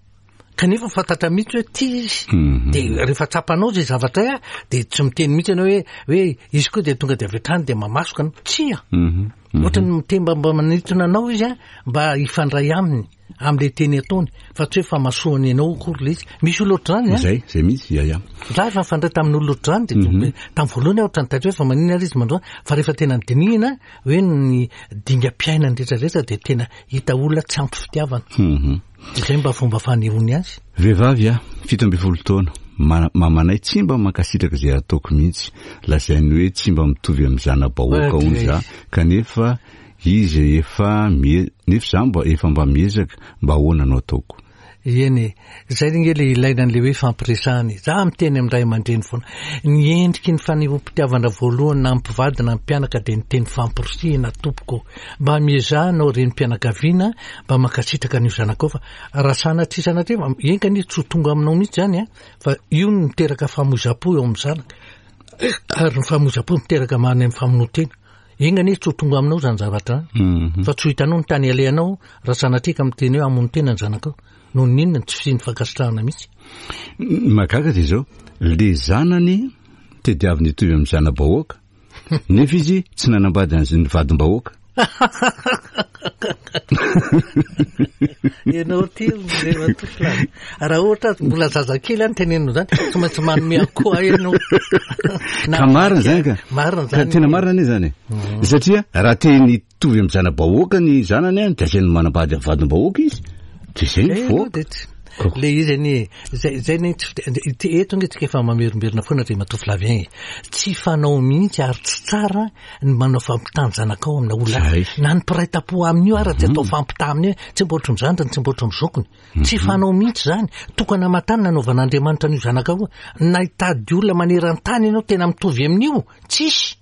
kanefa fantatra mihitsy hoe tia izy. Mhm. De rehefa tsapanao zay zavatra ay a, de tsy miteny mihitsy ianao hoe hoe izy koa de tonga de avy hatrany de mamasoka anao, tsia. Mhm. Ohatra ny miteny mba mba manintona anao izy a, mba hifandray aminy am'le teny ataony, fa tsy hoe famasohany ianao akory le izy. Misy olona ohatr'izany a. Zay zay mihitsy, ia ia. Za efa nifandray tamin'olona ohatr'izany, de Mhm. tamin'ny voalohany aho ohatran'ny taitra hoe fa maninona ary izy mandroa, fa rehefa tena nodinihina hoe ny dingam-piainany rehetrarehetra, de tena hita olona tsy ampy fitiavana. Mhm. De zay mba fomba fanehoany azy. Vehivavy a, fito ambin'ny folo taona. Ma- mamanay tsy mba mankasitraka izay ataoko mihitsy, lazainy hoe tsy mba mitovy amin'ny zana-bahoaka Ouais, hono za, kanefa izy efa mie- nefa za mba efa mba miezaka. Mba ahoana no ataoko? Eny e, zay nge le ilaina an'le hoe fampiresahana e. Za miteny amin'ny ray aman-dreny foana. Ny endriky ny fanehoam-pitiavana voalohany na mpivady na mpianaka dia ny teny fampirisihana tompoko. Mba miezaha anao renim-pianakaviana mba mankasitraka an'io zanakao fa raha sanatria sanatria enga anie tsy ho tonga aminao mihitsy zany a, fa io no miteraka famoizam-po eo amin'ny zanaka. Ary ny famoizam-po miteraka mahany amin'ny famonoan-tena. Enga anie tsy ho tonga aminao zany zavatra zany. Fa tsy ho hitanao ny tany alehanao raha sanatria ka miteny hoe hamono tena ny zanakao. Noho ny inona tsy fisian'ny fankasitrahana mihitsy. Ny mahagaga dia izao, le zanany tediaviny hitovy amin'ny zana-bahoaka, nefa izy tsy nanambady an'izay ny vadim-bahoaka. Ianao ty Andriamatoa Flavien. Raha ohatra mbola zazakely any tenenina zany, tsy maintsy manome akoho ahy ianao. Ka marina zany ka. Marina Ka zany. tena marina anie zany e. Satria raha te nitovy amin'ny zana-bahoaka ny zanany any, dia asainy manambady amin'ny vadim-bahoaka izy. Dia zay ny Zay aloha voaka. dia tsy- Le izy anie, zay, zay anie tsy fite-, ity eto nge tsika efa mamerimberina foana Andriamatoa Flavien e. Tsy fanao mihitsy ary tsy tsara ny manao fampitan-janakao amina olona. Zay. Na ny mpiray tampo amin'io ary tsy atao fampitaha amin'io, tsy mba ohatry ny zandriny, tsy mba ohatry ny zokiny. Tsy fanao mihitsy zany. Tokana aman-tany nanaovan'Andriamanitra an'io zanakao io. Na hitady olona maneran-tany ianao tena mitovy amin'io, tsisy.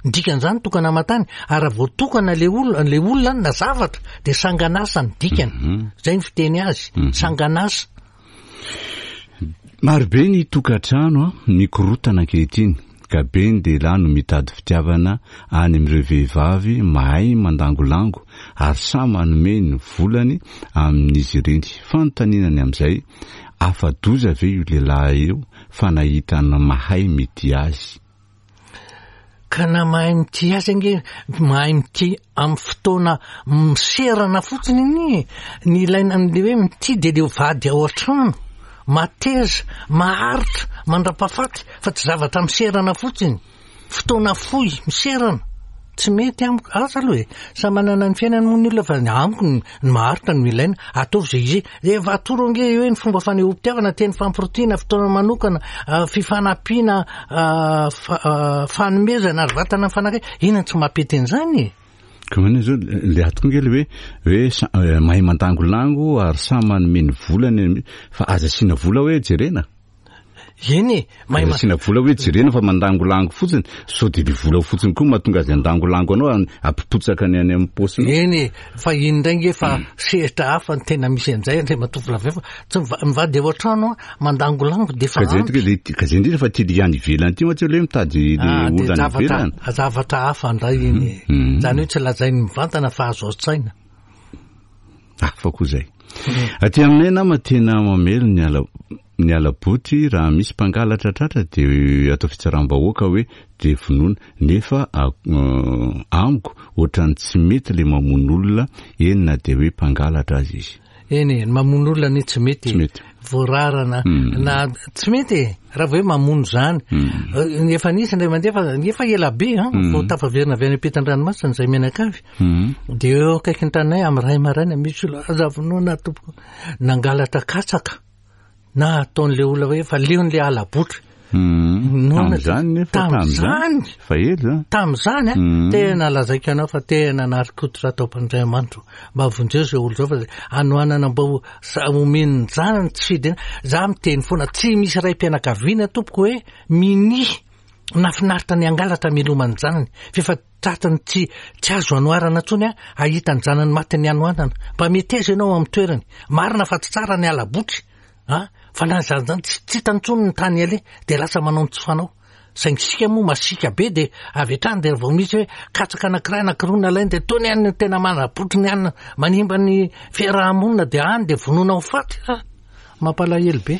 Ny dikan'izany tokana aman-tany. Ary raha vao tokana le olona, le olona na zavatra, dia sanganasa ny dikany. Zay ny fiteny azy, sanganasa. Marobe ny tokantrano a, mikorotana ankehitriny, ka be ny lehilahy no mitady fitiavana any amin'ireo vehivavy mahay mandangolango ary samy manome ny volany amin'izy ireny. Fanontaniana ny amin'izay, afa-doza ve io lehilahy io fa nahita ny mahay mitia azy? Ka na mahay mitia azy ange, mahay mitia amin'ny fotoana miserana fotsiny anie. Ny ilaina amin'ilay hoe mitia dia ilay vady ao an-trano, mateza, maharitra, mandra-pahafaty, fa tsy zavatra miserana fotsiny. Fotoana fohy, miserana. Tsy mety amiko, asa aloha e. Samy manana ny fiainany moa ny olona fa ny amiko ny, ny maharitra no ilaina. Ataovy izay izy. Efa atoro ange hoe ny fomba fanehoam-pitiavana, teny fampirotiana, fotoana manokana, ah, fifanampiana, ah, fa-, ah, fanomezana ary vatana mifanakaiky. Inona tsy mampety an'izany e? Ka manina zao, le ato koa nge le hoe, hoe sa-, eh, mahay mandangolango ary samy manome ny volany, fa aza asiana vola hoe jerena. Eny e, mahay Aza ma- asiana vola hoe jerena fa mandangolango fotsiny, sao dia le vola fotsiny koa mahatonga azy andangolango anao, an-, ampipotsaka ny any amin'ny paosiny. Eny e, fa iny indray nge fa sehatra hafa ny tena misy an'izay, Andriamatoa Flavien, fa tsy miva-, mivady ao an-trano a, mandangolango dia efa Ka zay ampy. tokoa le, ka zay indrindra fa ty le any ivelany ty mantsy le mitady le Ah, dia olona any zavatra, ivelany. zavatra hafa indray iny e. Mm. Zany hoe tsy lazainy mivantana fa azo an-tsaina. Hafa koa zay. Aty aminay nama tena mamely ny ala, ny alaboty raha misy mpangalatra tratra dia atao fitsaram-bahoaka hoe dia vonoina, nefa, a-, euh, amiko ohatran'ny tsy mety le mamono olona eny na dia hoe mpangalatra azy izy. Eny e, ny mamono olona anie tsy mety. Tsy mety. Voararana. Mm. Na tsy mety e, raha vao hoe mamono zany. Mm. Eh, efa nisy indray mandeha fa efa ela be, an, Mm. vao tafaverina avy any ampitan-dranomasina izay mianakavy. Mm. Dia eo akaiky ny tanay amin'ny ray maraina misy olona aza vonoina tompoko. Nangalatra katsaka. Na ataon'ilay olona hoe efa leon'ilay alabotra. Mm. Noana Tamin'izany nefa, tamin'izany. tamin'izany. Fa ela zany. Tamin'izany, a, Mm. tena lazaiko anao fa tena narikototra tao am-pandriamanitra. Mba vonjeo izay olona izao fa anoanana mba ho sa-, omen'ny zanany tsy fidina. Za miteny foana, tsy misy ray-pianakaviana tompoko hoe minia nafinaritra ny angalatra miloman'ny zanany. Fa efa tratany tsy, tsy azo anoarana intsony a, ahita ny zanany maty ny anoanana. Mba meteza ianao amin'ny toerany. Marina fa tsy tsara ny alabotry. A, fa na zany zany tsy, tsy hitany intsony ny tany aleha, dia lasa manao ny tsy fanao. Saingy isika moa masiaka be dia avy hatrany dia vao misy hoe katsaka anankiray anankiroa nalainy dia tony any ny tena manabotry ny anina, manimba ny fiarahamonina dia any dia vonoina ho faty. Ah, mampalahelo be.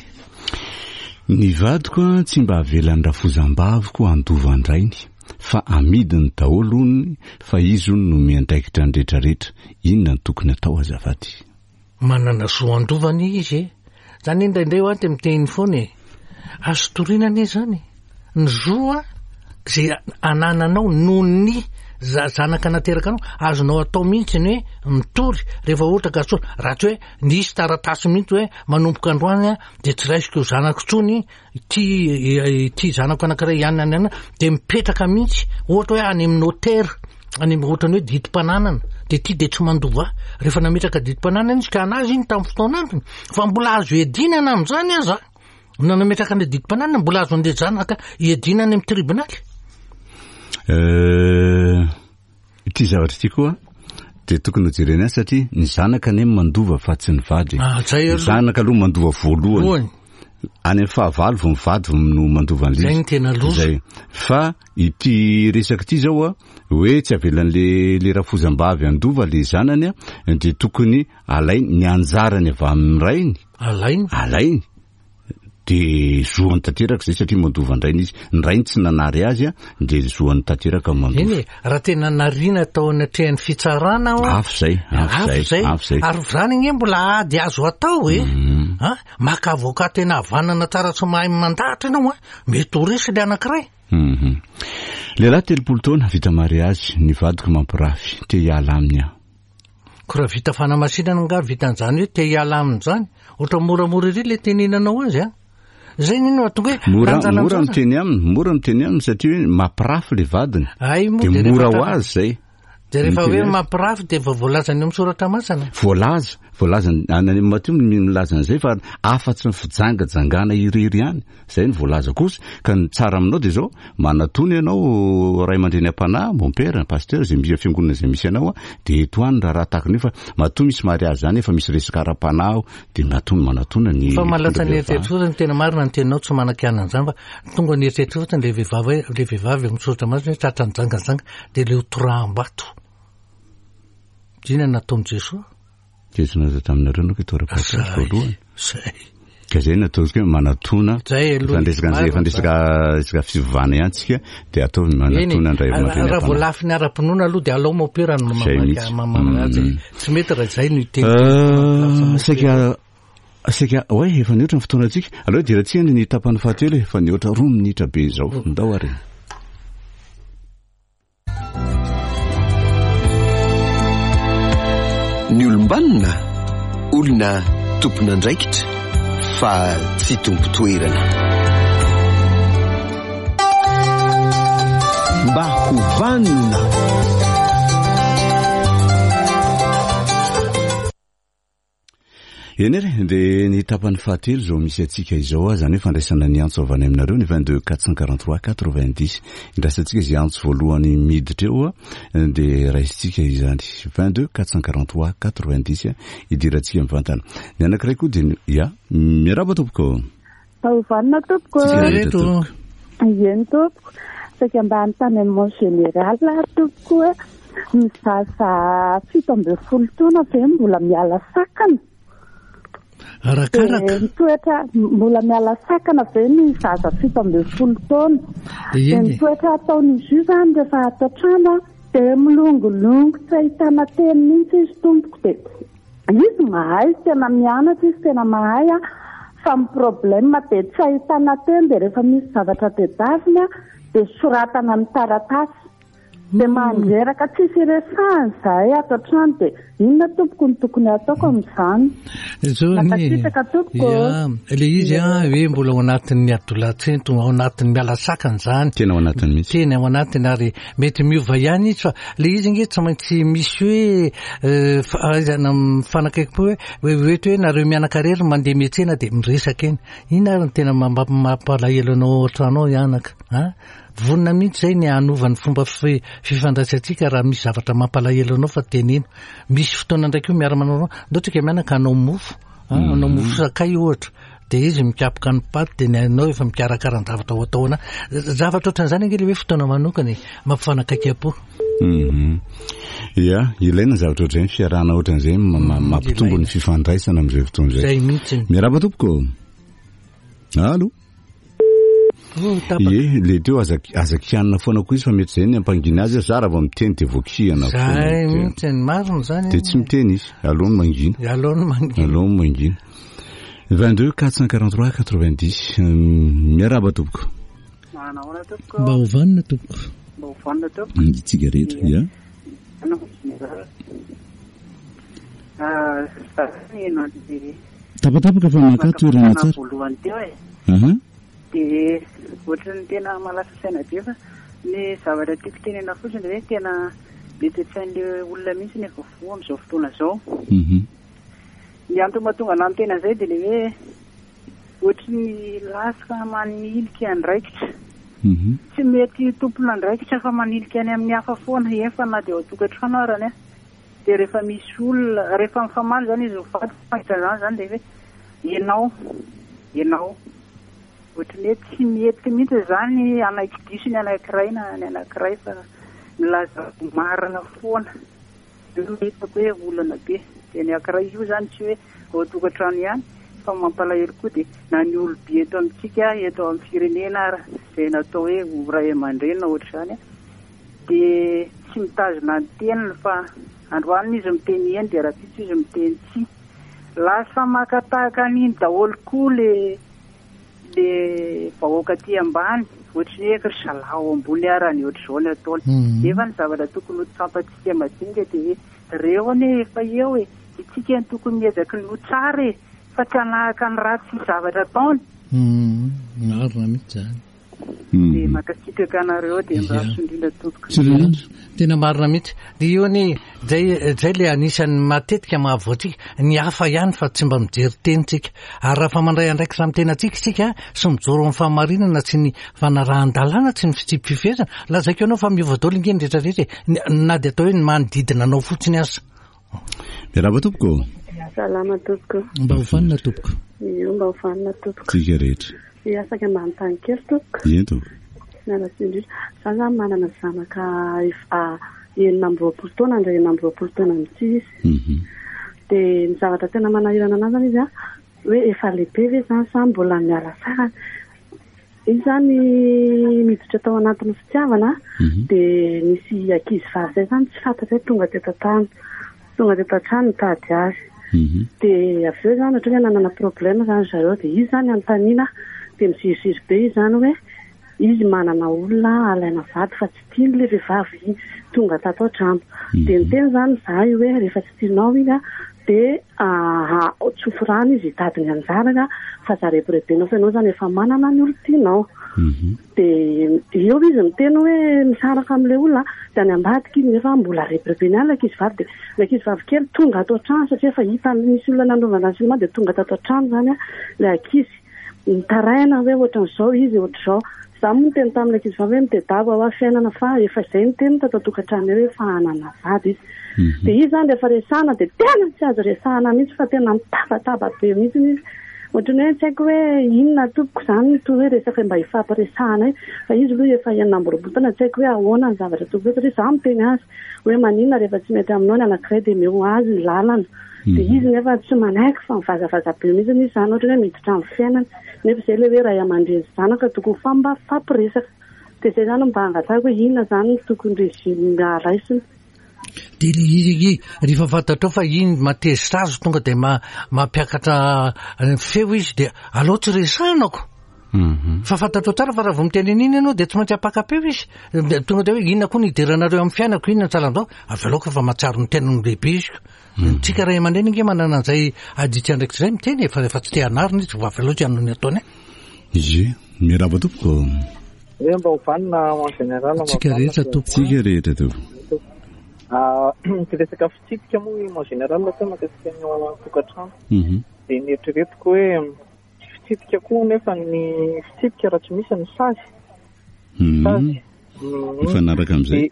Ny vadiko a, tsy mba avelan'ny rafozam-baviko handova an-drainy, fa amidiny daholo hono, fa izy hono no miandraikitra ny rehetrarehetra. Inona no tokony atao azafady? Manana zo handovana izy e. Zany indraindray ho aho dia miteny foana e. Azo toriana anie zany. Ny zo a, zay anananao noho ny za-, zanaka nateraka anao, azonao atao mihitsy ny hoe mitory rehefa ohatra ka soa. Raha tsy hoe nisy taratasy mihitsy hoe manomboka androany a, dia tsy raisiko zanako intsony, ity, ity zanako anankiray ihany any any, dia mipetraka mihitsy, ohatra hoe any amin'ny notaire, any ohatrany hoe didim-pananana, de ty de tsy mandova ahy. Rehefa nametraka didim-pananana izy ka anazy iny tamin'ny fotoan'androny, fa mbola azo iadinana amin'izany aza. Na nametraka an'ilay didim-pananana, mbola azo an'ilay zanaka iadinana any amin'ny tribonaly. Euh, ity zavatra ity koa de tokony ho jerena ihany satria ny zanaka anie mandova fa tsy ny vady. Ah, zay Ny aloha. zanaka aloha mandova voalohany. Voalohany. Any amin'ny fahavalo vao mivady vao no mandova an'ilay Zay izy. ny tena loza. Zay. Fa ity resaka ity zao a, hoe tsy avelan'le le rafozam-bavy handova le zanany a, de tokony alainy ny anjarany avy amin'ny rainy. Alainy. Alainy. De zoany tanteraka zay satria mandova an-drainy izy. Ny rainy tsy nanary azy a, de zoany tanteraka mandova. Eny e, raha tena narina tao anatrehan'ny fitsarana aho a, Afo zay, afo afo zay, zay. afo zay. Ary zany anie mbola ady azo atao e. Mhm. Ha? Maka avocat tena havanana tsara tsy mahay mandahatra ianao a, mety ho resy le anankiray. Mhm. Lehilahy telopolo taona vita mariazy, ny vadiko mampirafy, te hiala aminy aho. Ko raha vita fanamasinana nga vita an'izany hoe te hiala aminy zany, ohatra moramora ery le tenenanao azy a. Zay ny no tonga hoe Mora, lanjalanjaza. mora miteny aminy, mora miteny aminy satria hoe mampirafy le vadiny. Ay, moa De de rehefa mora ho tra- azy zay. De rehefa Miteny hoe azy. mampirafy de efa voalazany eo amin'ny soratra masina. Voalaza, voalaza any any Matio no milaza an'izay fa afa-tsy ny fijangajangana irery ihany. Zay ny voalaza kosa. Ka ny tsara aminao de zao, manatona ianao ray aman-dreny am-panahy, mon père, pasteur, zay misy fiangonana zay misy anao a, de eto any raharaha tahaka an'io fa matoa misy mariazy zany efa misy resaka ara-panahy ao, de matoa manatona ny Fa mahalatsa ny mpitondra eritreritra fotsiny, tena marina ny teninao, tsy manakiana an'izany fa tonga ny eritreritra fotsiny le vehivavy hoe, le vehivavy amin'ny soratra masina hoe tratra nijangajanga de le ho toraham-bato. Inona no nataon'i Jesoa? Jesoa naza taminareo no tora-bato Zay, voalohany. zay. Ka zay nataontsika hoe manatona. Zay aloha. Efa ndresaka an'izay, efa ndresaka resaka fivavahana ihany tsika, de ataovy manatona ny ray Eny, aman-dreny raha am-panahy. voalafiny ara-pinoana aloha de alao mopera no Zay mamaky mihitsy. mamana azy. Mm. Tsy mety raha zay no hiteny. Euh, saika saika oe efa nihoatra ny fotoanantsika. Aleo hidirantsika ny tapany fahatelo e, efa nihoatra roa minitra be izao. Ndao ary. Ny olom-banona, olona tompon'andraikitra fa tsy tompo-toerana. Mba ho vanona. Eny ary, de ny tapany fahatelo izao misy antsika izao a, zany hoe fandraisana ny antso avy any aminareo ny vingt-deux quatre cent quarante-trois quatre-vingt-dix. Indraisantsika izay antso voalohany miditra eo a, de raisintsika izany vingt-deux quatre cent quarante-trois quatre-vingt-dix a, idirantsika mivantana. Ny anankiray koa de ny- ya, miarahaba tompoko. Taovanina tompoko. Tsika rehetra Reto. tompoko. Eny tompoko. Saika mba hanontany amin'ny mon général aho tompoko hoe ny zaza fito ambin'ny folo taona ve mbola miala sakana? Arakaraka. De ny toetra mbola miala sakana ve ny zaza fito ambin'ny folo taona? De De eny ny e. toetra ataon'izy io zany rehefa ato an-trano a, de milongolongo tsy ahitana teny mihitsy izy tompoko. De izy mahay, tena mianatra izy, tena mahay a, fa ny problème de tsy ahitana teny, de rehefa misy zavatra tedaviny a, de soratana amin'ny taratasy. De mandreraka tsisy iresahany zahay ato an-trano. De inona tompoko no tokony ataoko amin'izany? Zao ny Mankasitraka tompoko. Ya, le izy a hoe mbola ao anatin'ny adolatsento, ao anatin'ny miala sakana zany. Tena ao anatiny mihitsy. Tena ao anatiny ary mety miova ihany izy fa le izy nge tsy maintsy misy hoe, eh, fa- ahaizana mifanakaiky hoe, hoe hoe hoe nareo mianaka rery mandeha miantsena de miresaka eny. Ina ary ny tena mampa- mampalahelo anao ao an-trano ao ianaka, ha? Vonona mihitsy zay ny hanova ny fomba fi-, fifandraisantsika raha misy zavatra mampalahelo anao fa teneno. Misy fotoana ndraiky io miara-manao, ndao tsika mianaka hanao mofo, ha? Hanao mofo sakay ohatra. De izy mikapoka ny paty, de ny anao efa mikarakara ny zavatra ho atao ana. Zavatra ohatran'izany ange le hoe fotoana manokana e, mampifanakaiky am-po. Mhm. Ya, ilaina zavatra ohatr'izay, ny fiarahana ohatran'izay ma-, ma-, mampitombo ny fifandraisana amin'izay fotoana izay. Zay mihitsy. Miarahaba tompoko. Allô? Oh, tapaka. Ie, le teo aza aza kianina foana koa izy fa mety zay ny ampangina azy, za raha vao miteny de voakihana foana. Zay De- mihitsy, ny marina zany. De tsy miteny izy, aloha ny mangina. Aloha ny mangina. Aloha ny mangina. vingt-deux quatre cent quarante-trois quatre-vingt-dix. Miarahaba tompoko. Manahoana tompoko? Mba ho vanona tompoko. Mba ho vanona tompoko. Itsika rehetra, ya. Anao général. Ah, za ny nandeha Tapatapaka fa maka toerana tsara. voalohany teo e. Aha. De ohatran'ny tena mahalasa saina be fa ny zavatra tiako tenena fotsiny hoe tena Mety tsy hain'le olona mihitsy ny efa voa amin'izao fotoana izao. Mhm. Ny antony mahatonga anahy miteny an'izay dia le hoe ohatry ny lasa manilika andraikitra. Mhm. Tsy mety tompon'andraikitra fa manilika any amin'ny hafa foana, efa na dia ao an-tokantrano arany a. Dia rehefa misy olona, rehefa mifamaly zany izy mivady, mahita an'izany zany dia hoe ianao, ianao. Ohatry ny hoe tsy mety mihitsy zany anaiky diso ny anankiray na ny anankiray fa milaza ho marina foana. Io no hitako hoe olana be. Dia ny anankiray io zany tsy hoe ao an-tokantrano ihany fa mampalahelo koa dia na ny olobe eto amintsika, eto amin'ny firenena ary izay natao hoe ho ray aman-dreny na ohatr'izany a, dia tsy mitazona ny teniny fa androany izy miteny eny dia rahampitso izy miteny tsia. Lasa maka tahaka an'iny daholo koa le le vahoaka aty ambany, ohatry ny hoe ry zalahy ao ambony arany ohatr'izao ny ataony. Mhm. Nefa ny zavatra tokony ho tsapantsika madinika dia hoe reo anie efa eo e, isika no tokony miezaka ny ho tsara e, fa tsy hanahaka ny ratsy zavatra ataony. Mhm. Marina mihitsy zany. Dia Mhm. mankasitraka anareo dia Ia. mirary indrindra tompoko. Tsy indrindra. Tena marina mihitsy. Dia io anie, zay, zay le anisan'ny matetika mahavoantsika, ny hafa ihany fa tsy mba mijery teny tsika. Ary raha fa mandray andraikitra amin'ny tenantsika isika, sy mijoro amin'ny fahamarinana, tsy ny fanarahan-dalàna, tsy ny fitsipi-pifehezana, lazaiko ianao fa miova daholo ange ny rehetrarehetra e. Ny- na dia atao hoe ny manodidina anao fotsiny aza. Miarahaba tompoko. Salama tompoko. Mba ho vanona tompoko. Io mba ho vanona tompoko. Tsika rehetra. Hiasaka mba hanontany kely tompoko. Eny tompoko. Miala tsiny indrindra. Za zany manana zanaka efa enina amby roapolo taona, andra enina amby roapolo taona mihitsy izy. Mhm. Dia ny zavatra tena manahirana anazy zany izy a, hoe efa lehibe ve zany sa mbola miala sarany. Izy zany miditra tao anatin'ny fitiavana, Mhm. dia nisy ankizy vavy zay zany tsy fantatra hoe tonga teto an-tany. Tonga teto an-trano nitady azy. Mhm. Dia avy eo zany ohatra hoe nanana problème zany zareo, dia izy zany anontaniana, dia miziriziry be izy zany hoe izy manana olona alaina vady fa tsy tiany ilay vehivavy tonga tato an-trano. Dia niteny zany izahay hoe rehefa tsy tianao iny a, dia ah, tsofy rano izy hitady ny anjarany a, fa za rebirebenao fa ianao zany efa manana ny olon-tianao. Mhm. Dia eo izy miteny hoe misaraka amin'ilay olona, dia any ambadika izy nefa mbola rebirebeny ihany ilay ankizy vavy. Dia ilay ankizy vavy kely tonga ato an-trano satria efa hita nisy olona nanaovana azy dia tonga tato an-trano zany a, ilay ankizy nitaraina hoe ohatran'izao izy, ohatr'izao. Za moa niteny tamin'ilay ankizy vavy hoe mitedava ho aho fiainana fa efa izay niteny tato an-tokantrano hoe efa hanana vady izy. Mhm. Dia izy zany rehefa resahana dia tena tsy azo resahana mihitsy fa tena mitabataba be mihitsy izy. Ohatran'ny hoe tsy haiko hoe inona tompoko zany no toy hoe resaka mba hifampiresahana io. Fa izy aloha efa enina amby roapolo taona, tsy haiko hoe ahoana ny zavatra tompoko satria za miteny azy hoe maninona rehefa tsy mety aminao ny anankiray dia omeo azy ny lalana. Dia izy nefa tsy manaiky fa mivazavaza be mihitsy izy zany, ohatran'ny hoe miditra amin'ny fiainana. Nefa izay ilay hoe ray aman-dreny sy zanaka tokony mifamba- mifampiresaka. Dia izay zany mba hangatahako hoe inona zany no tokony régime raisina. Dia le izy ange, rehefa fantatrao fa iny matezitra azy tonga dia ma-, mampiakatra feo izy dia aleo tsy resahanako. Mhm. Fa fantatrao tsara fa raha vao miteny an'iny ianao dia tsy maintsy ampaka-peo izy. Dia tonga dia hoe inona koa ny hidiranareo amin'ny fiainako, inona ny salan'izao? Avy aloha fa mahatsiaro ny tenany lehibe izy. Tsika ray aman-dreny ange manana an'izay aditsy andraikitra izay miteny e, fa rehefa tsy te hanarina izy, avy aloha tsy hanao ny ataony e. Ie, miarahaba tompoko. Hoe mba ho vanona en général, mba ho Tsika vanona rehetra sy tompoko. Tsika rehetra tompoko. Ah, ty resaka fitsipika moa en général atao mahakasika ny ao an-tokantrano. Mhm. Dia nieritreretiko hoe tsy fitsipika koa nefa ny fitsipika raha tsy misy ny sazy. Mhm. Sazy. Mhm. Mifanaraka amin'izay.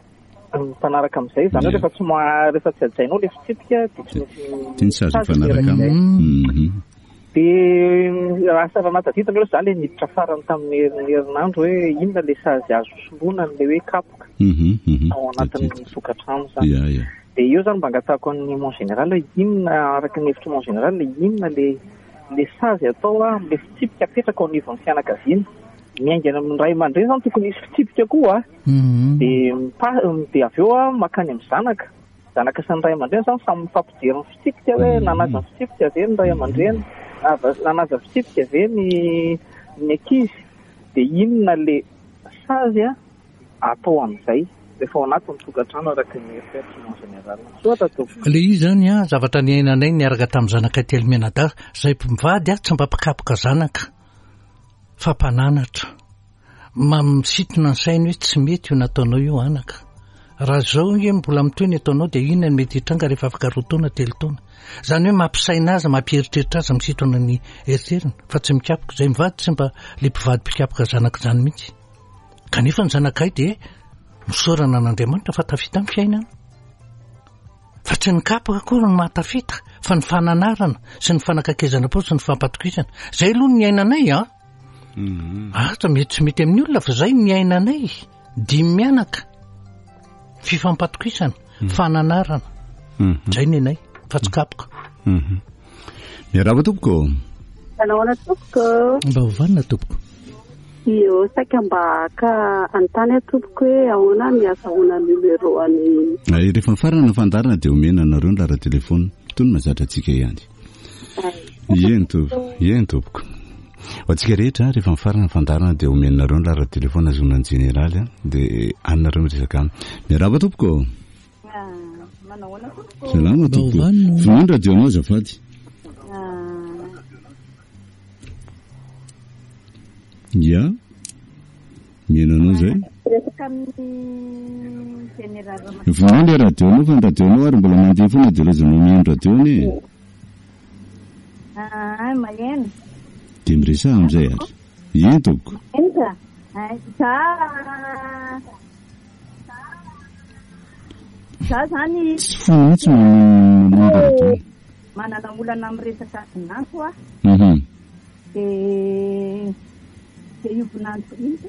Dia mifanaraka amin'izay, izany hoe Ie. rehefa tsy ma-, rehefa tsy hajainao ilay fitsipika dia tsy maintsy Ty ny sazy sazy mifanaraka miaraka aminy. amin'izay. Mhm. Dia raha sara nahatadidina aloha za le niditra farany tamin'ny herinandro hoe inona le sazy azo soloina an'ilay hoe kapoka Mhm, mhm. ao anatin'ny Tadidiko. tokantrano zany. Ia, ia. Dia eo zany mba angatahako an'ny mon général hoe inona, araka ny hevitry mon général, inona le, le sazy atao a, amin'ilay fitsipika apetraka ao anivon'ny fianakaviana. Miainga any amin'ny ray aman-dreny zany tokony hisy fitsipika koa a. Mhm. Dia mipa-, dia avy eo a makany amin'ny zanaka. Zanaka sy ny ray aman-dreny zany samy mifampijery ny fitsipika hoe Mhm. nanaja ny fitsipika ve ny ray aman-dreny, nava-, nanaja fitsipika ve ny, ny ankizy. Dia inona le sazy a atao amin'izay rehefa ao anatin'ny tokantrano araka ny eritreritra en général. Misaotra tompoko. Le izy zany a, zavatra niainanay niaraka tamin'ny zanaka telo mianadahy, izay mpivady a tsy mba mpikapoka zanaka fa mpananatra. Ma-, misintona ny sainy hoe tsy mety io nataonao io anaka. Raha zao nge mbola mitohy ny ataonao dia inona ny mety hitranga rehefa afaka roa taona, telo taona. Izany hoe mampisaina azy, mampieritreritra azy, misintona ny eritreriny fa tsy mikapoka. Izay mivady tsy mba le mpivady mpikapoka zanaka izany mihitsy. Kanefa ny zanakay dia misaorana an'Andriamanitra fa tafita ny fiainana. Fa tsy ny kapoka akory no mahatafita fa ny fananarana sy ny fanakaikezana po sy ny fampatokisana. Izay aloha ny iainanay an. Asa mety tsy mety amin'ny olona fa izay ny iainanay. Dimy mianaka. Fifampatokisana, fananarana. Izay ny anay fa tsy kapoka. Miarahaba tompoko. Manahoana tompoko? Mba ho vanona tompoko. Io saika mba haka anontany aho tompoko hoe ahoana ny azahoana numéro any. Ay, rehefa mifarana ny fandaharana dia omena anareo ny laharan-telefona. Toy ny mahazatra antsika ihany. Eny tompoko, eny tompoko. Ho antsika rehetra, rehefa mifarana ny fandaharana dia omenareo ny laharan-telefona azahoana ny jeneraly, dia anareo miresaka aminy. Miarahaba tompoko. Manahoana tompoko? Salama tompoko. Mba ho vanona. Vonoy ny radio-nao azafady. Ya. Mihaino anao zay. Resaka amin'ny jeneraly Ramatoa. Vonoy ilay radio-nao fa ny radio-nao ary mbola mandeha foana dia lazainao mihaino radio anie. Ah, maheno. Dia miresaha amin'izay ary. Eny tompoko. Maheno ka. Za, za zany Tsy fohy mihitsy mamono radio. Manana olana amin'ny resaka vinanto aho. Mhm. Dia, dia io vinanto ino ty?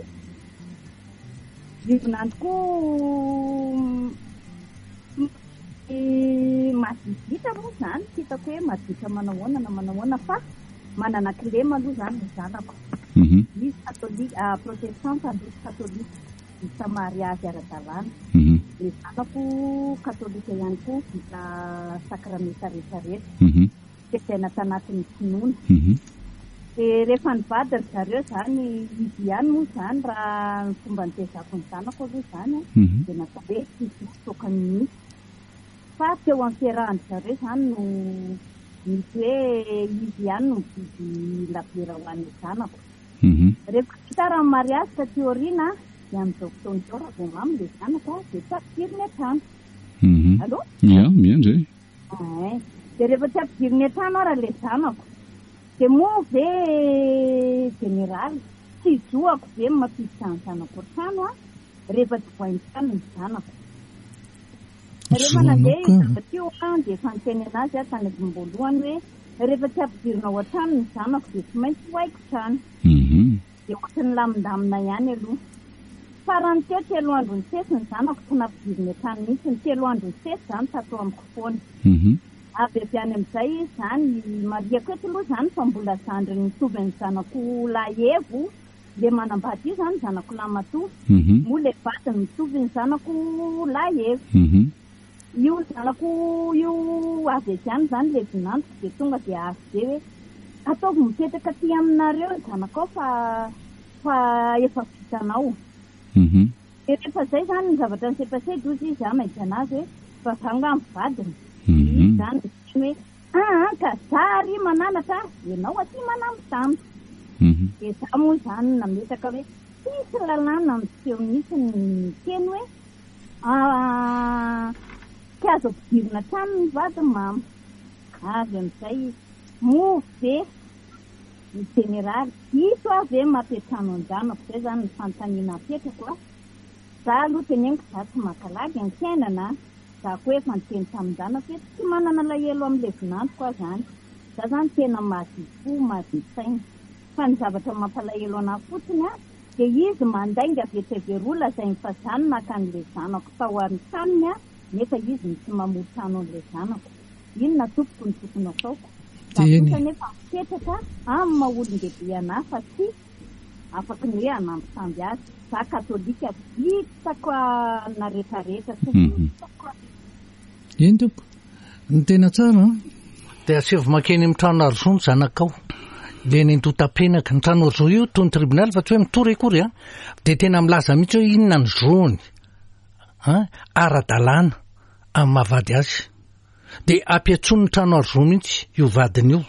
Io vinanto koa madidita moa zany, tsy hitako hoe maditra manao ahoana na manao ahoana fa manana kilema aloha zany ny zanako. Mhm. Izy katolika, protestanta, izy katolika, vita mariazy ara-dalàna. Mhm. Ny zanako katolika ihany koa, vita sakramenta rehetrarehetra. Mhm. Tezaina tanatin'ny finoana. Mhm. Dia rehefa nivady ry zareo zany, izy ihany moa zany raha ny fomba nitezako ny zanako aloha zany, Mhm. dia natao hoe tsy hisy toaka mihitsy. Fa teo amin'ny fiarahan-dry zareo zany no misy hoe izy ihany no mividy labiera ho an'ny zanako. Mhm. Rehefa vita raha ny mariazy taty aoriana, dia amin'izao fotoana izao raha vao mamy ilay zanaka dia tsy ampidiriny an-trano. Mhm. Allô? Ya, miandry e. Ay. Dia rehefa tsy ampidiriny an-trano ara ilay zanako, dia moa ve jeneraly tsy zoako ve mampiditra ny zanako an-trano a, rehefa tsy voain-trano ny zanako? Rehefa nandeha Zonao ka. izy teo a, dia efa niteny anazy aho tany am-boalohany hoe rehefa tsy ampidirina ao an-trano ny zanako dia tsy maintsy ho haiko trano. Mhm. Dia ohatry ny lamindamina ihany aloha. Farany teo telo andro nisesy ny zanako tsy nampidirina an-trano mihitsy, ny telo andro nisesy zany tato amiko foana. Mhm. Avy avy any amin'izay izy zany, marihako eto aloha zany fa mbola zandriny mitovy ny zanako lahy Evo, le manambady io zany zanako lahy matoa. Mhm. Moa le vadiny mitovy ny zanako lahy Evo. Mhm. Io zanako io avy avy any zany le vinantoko dia tonga dia avy be hoe ataovy mipetraka aty aminareo ny zanakao fa, fa efa vitanao. Mhm. Dia rehefa zay zany ny zavatra nisepasedy ozy izy mahita anazy hoe fa za nga mivadiny. Mhm. Izy zany miteny hoe ah, ka za ary mananatra, ianao aty manambitamby. Mhm. Dia za moa zany nametraka hoe tsisy lalàna miseho mihitsy ny miteny hoe, ah, tsy azo ampidirina trano ny vady mama. Avy amin'izay izy moa ve ny jeneraly diso aho ve mampiantrano an-janako? Izay zany ny fanontaniana apetrako a. Za aloha teneniko za tsy mankalagy ny fiainana. Za koa efa niteny tamin-janako hoe tsy manana alahelo amin'ilay vinantoko aho zany. Za zany tena madio fo, madio saina. Fa ny zavatra mampalahelo anahy fotsiny a, dia izy mandainga avy etsy avy eroa lazainy fa zany naka an'ilay zanako tao amin'ny tranony a, nefa izy no tsy mamory trano an'ilay zanako. Inona tompoko no tokony ataoko? Za Teny. kosa nefa mipetraka amin'ny maha olon-dehibe anahy fa tsy afaky ny hoe hanambitamby azy. Za katolika vitako na rehetrarehetra, tsy Mhm. vitako. Eny tompoko, ny tena tsara an? Dia asaivo mankeny amin'ny trano arzo ny zanakao. Dia ny andotapenaka. Ny trano arzo io toy ny tribonaly fa tsy hoe mitory akory an. Dia tena milaza mihitsy hoe inona ny zony, an, ara-dalàna amin'ny mahavady azy. Dia ampiantsoiny ny trano arzo mihitsy io vadiny io.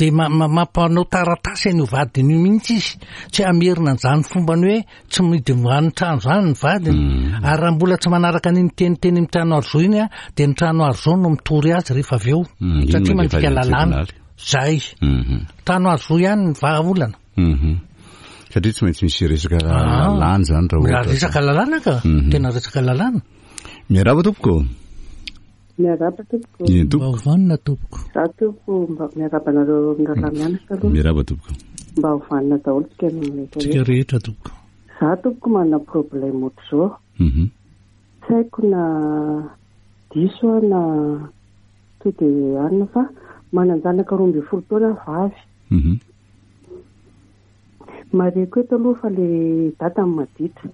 De mampanao taratasy an'io vadiny io mihitsy izy, tsy hamerina an'izany fombany hoe tsy midy any trano zany ny vadiny. Mm. Ary raha mbola tsy manaraka an'iny teniteny amin'ny trano aro zo iny a, de ny trano aro zo no mitory azy rehefa avy eo, Mm, iny satria mandefa mandika azy any lalàna tribonaly. Zay Mhm. trano aro zo ihany ny vahaolana. Mhm. Satria tsy maintsy misy resaka Ah. lalàna zany raha ohatra. Resaka lalàna ka, Mhm. tena resaka lalàna. Miarahaba tompoko. Miarahaba tompoko. Eny tompoko. Mba ho vanona tompoko. Za tompoko, mba miarahaba anareo mirahalahy mianatra aloha. Miarahaba tompoko. Mba ho vanona daholo tsika rehetra. Tsika rehetra tompoko. Za tompoko manana problème ohatr'izao. Mhm. Tsy haiko na diso aho na to de anina, fa manan-janaka roa ambin'ny folo taona vavy. Mhm. Mareko eto aloha fa le dadany maditra.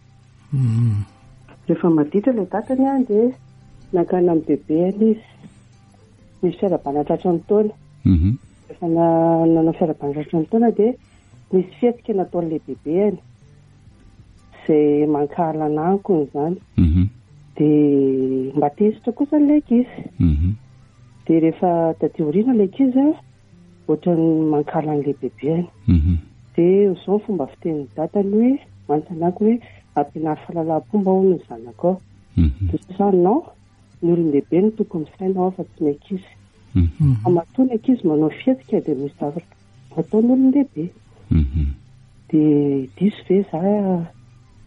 Mm. Rehefa maditra le dadany a, dia nankany amin'ny bebeany izy. Nisy fiarahabana tratra ny taona. Mhm. Rehefa na- nanao fiarahabana tratra ny taona, dia nisy fihetsika nataon'ilay bebeany izay mankahala anakony izany. Mhm. Dia mba tezitra kosa ilay ankizy. Mhm. Dia rehefa taty aoriana ilay ankizy a, ohatran'ny mankahala an'ilay bebeany. Mhm. Dia izao ny fomba fitenin'ny dadany hoe mantsanako hoe ampianary fahalalam-pomba hono ny zanakao. Mhm. Dia za non, ny olon-dehibe no tokony misaina ao fa tsy ny ankizy. Mhm. Fa matoa ny ankizy manao fihetsika, dia misy zavatra ataon'ny olon-dehibe. Mhm. Dia diso ve za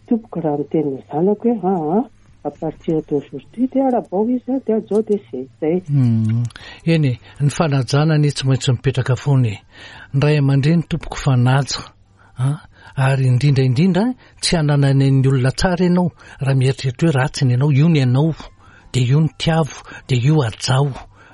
tompoko raha miteny ny zanako hoe aa à partir d'aujourd'hui dia arabao izy a, dia ajao, dia zay zay. Mm. Eny e, ny fanajana anie tsy maintsy mipetraka foana e. Ny ray aman-dreny tompoko fanaja a, ary indrindra indrindra tsy hananany ny olona tsara ianao raha mieritreritra hoe ratsy ny ianao. Io ny anao, de io ny tiavo, de io ajao,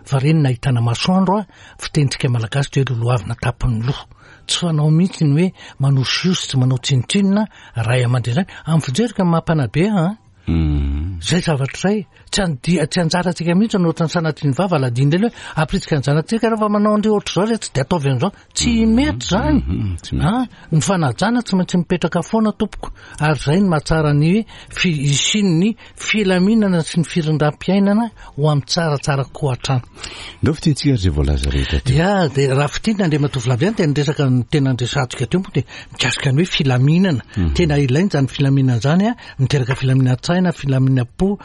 fa reny nahitana masoandro a, fitenitsika malagasy de hoe lolohavina tapin'ny loha. Tsy fanao mihitsy ny hoe manosiosy, tsy manao tsinotsinona ray aman-dreny zany amin'ny fijerika ny mampanabe a. Mhm. Zay zavatra zay tsy andia, tsy anjarantsika mihitsy no ohatran'ny sanatria ny vava ladiny reny hoe ampiritsika ny zanatsika rehefa manao andre ohatr'izao re, tsy de ataovy an'izao, tsy mety zany. Mhm, tsy mety. A, ny fanajana tsy maintsy mipetraka foana tompoko, ary zay ny mahatsara ny hoe fi- hisian'ny filaminana sy ny firindram-piainana ho amin'ny tsaratsara koa hatrany. Ndao fitentsika ary zay voalaza rehetra teo. Ya, de raha fitinina, Andriamatoa Flavian, de niresaka ny tena ndresantsika teo moa de mikasika ny hoe filaminana. Tena ilaina zany filaminana zany a, miteraka filaminan-tsaina, filaminam-po,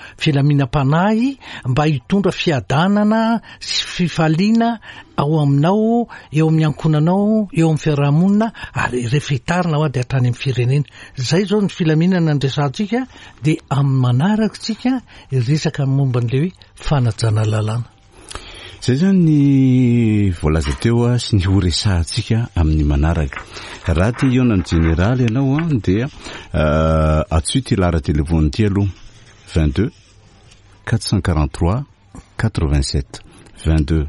filaminam-panahy, mba hitondra fiadanana sy fifaliana ao aminao, eo amin'ny ankohonanao, eo amin'ny fiarahamonina, ary rehefa hitarina ao a, de hatrany amin'ny firenena. Zay zao ny filaminana ndresantsika, de amin'ny manaraka tsika resaka momba an'le hoe fanajana lalàna. Zay zany ny voalaza teo a sy ny ho resahantsika amin'ny manaraka. Raha te hihaona ny jeneraly ianao a, dia euh, antsoy ty lahara telefony ty aloha: vingt-deux quatre cent quarante-trois quatre-vingt-sept, vingt-deux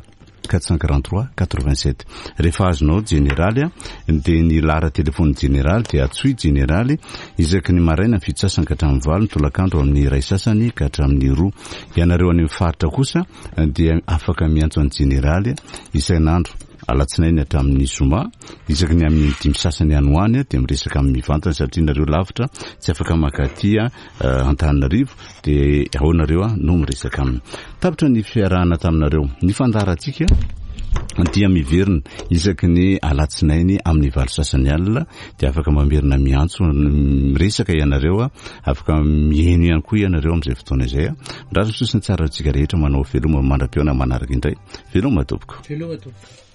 quatre cent quarante-trois quatre-vingt-sept. Rehefa azonao jeneraly a, dia ny lahara telefony jeneraly, dia antsoy jeneraly isaky ny maraina fito sasany ka hatramin'ny valo, ny tolakandro amin'ny iray sasany ka hatramin'ny roa. Ianareo any amin'ny faritra kosa dia afaka miantso any jeneraly isan'andro alatsinainy hatramin'ny zoma, isaky ny amin'ny dimy sasany any ho any a, dia miresaka amin'ny mivantana, satria nareo lavitra tsy afaka makaty a Antananarivo, dia ao nareo a no miresaka aminy. Tapitra ny fiarahana taminareo. Ny fandaharantsika dia miverina isaky ny alatsinainy amin'ny valo sasany alina, dia afaka mamerina miantso miresaka ianareo a, afaka mihaino ihany koa ianareo amin'izay fotoana izay a. Mirary ny soa sy ny tsara antsika rehetra, manao veloma mandra-pihaona manaraka indray. Veloma tompoko. Veloma tompoko.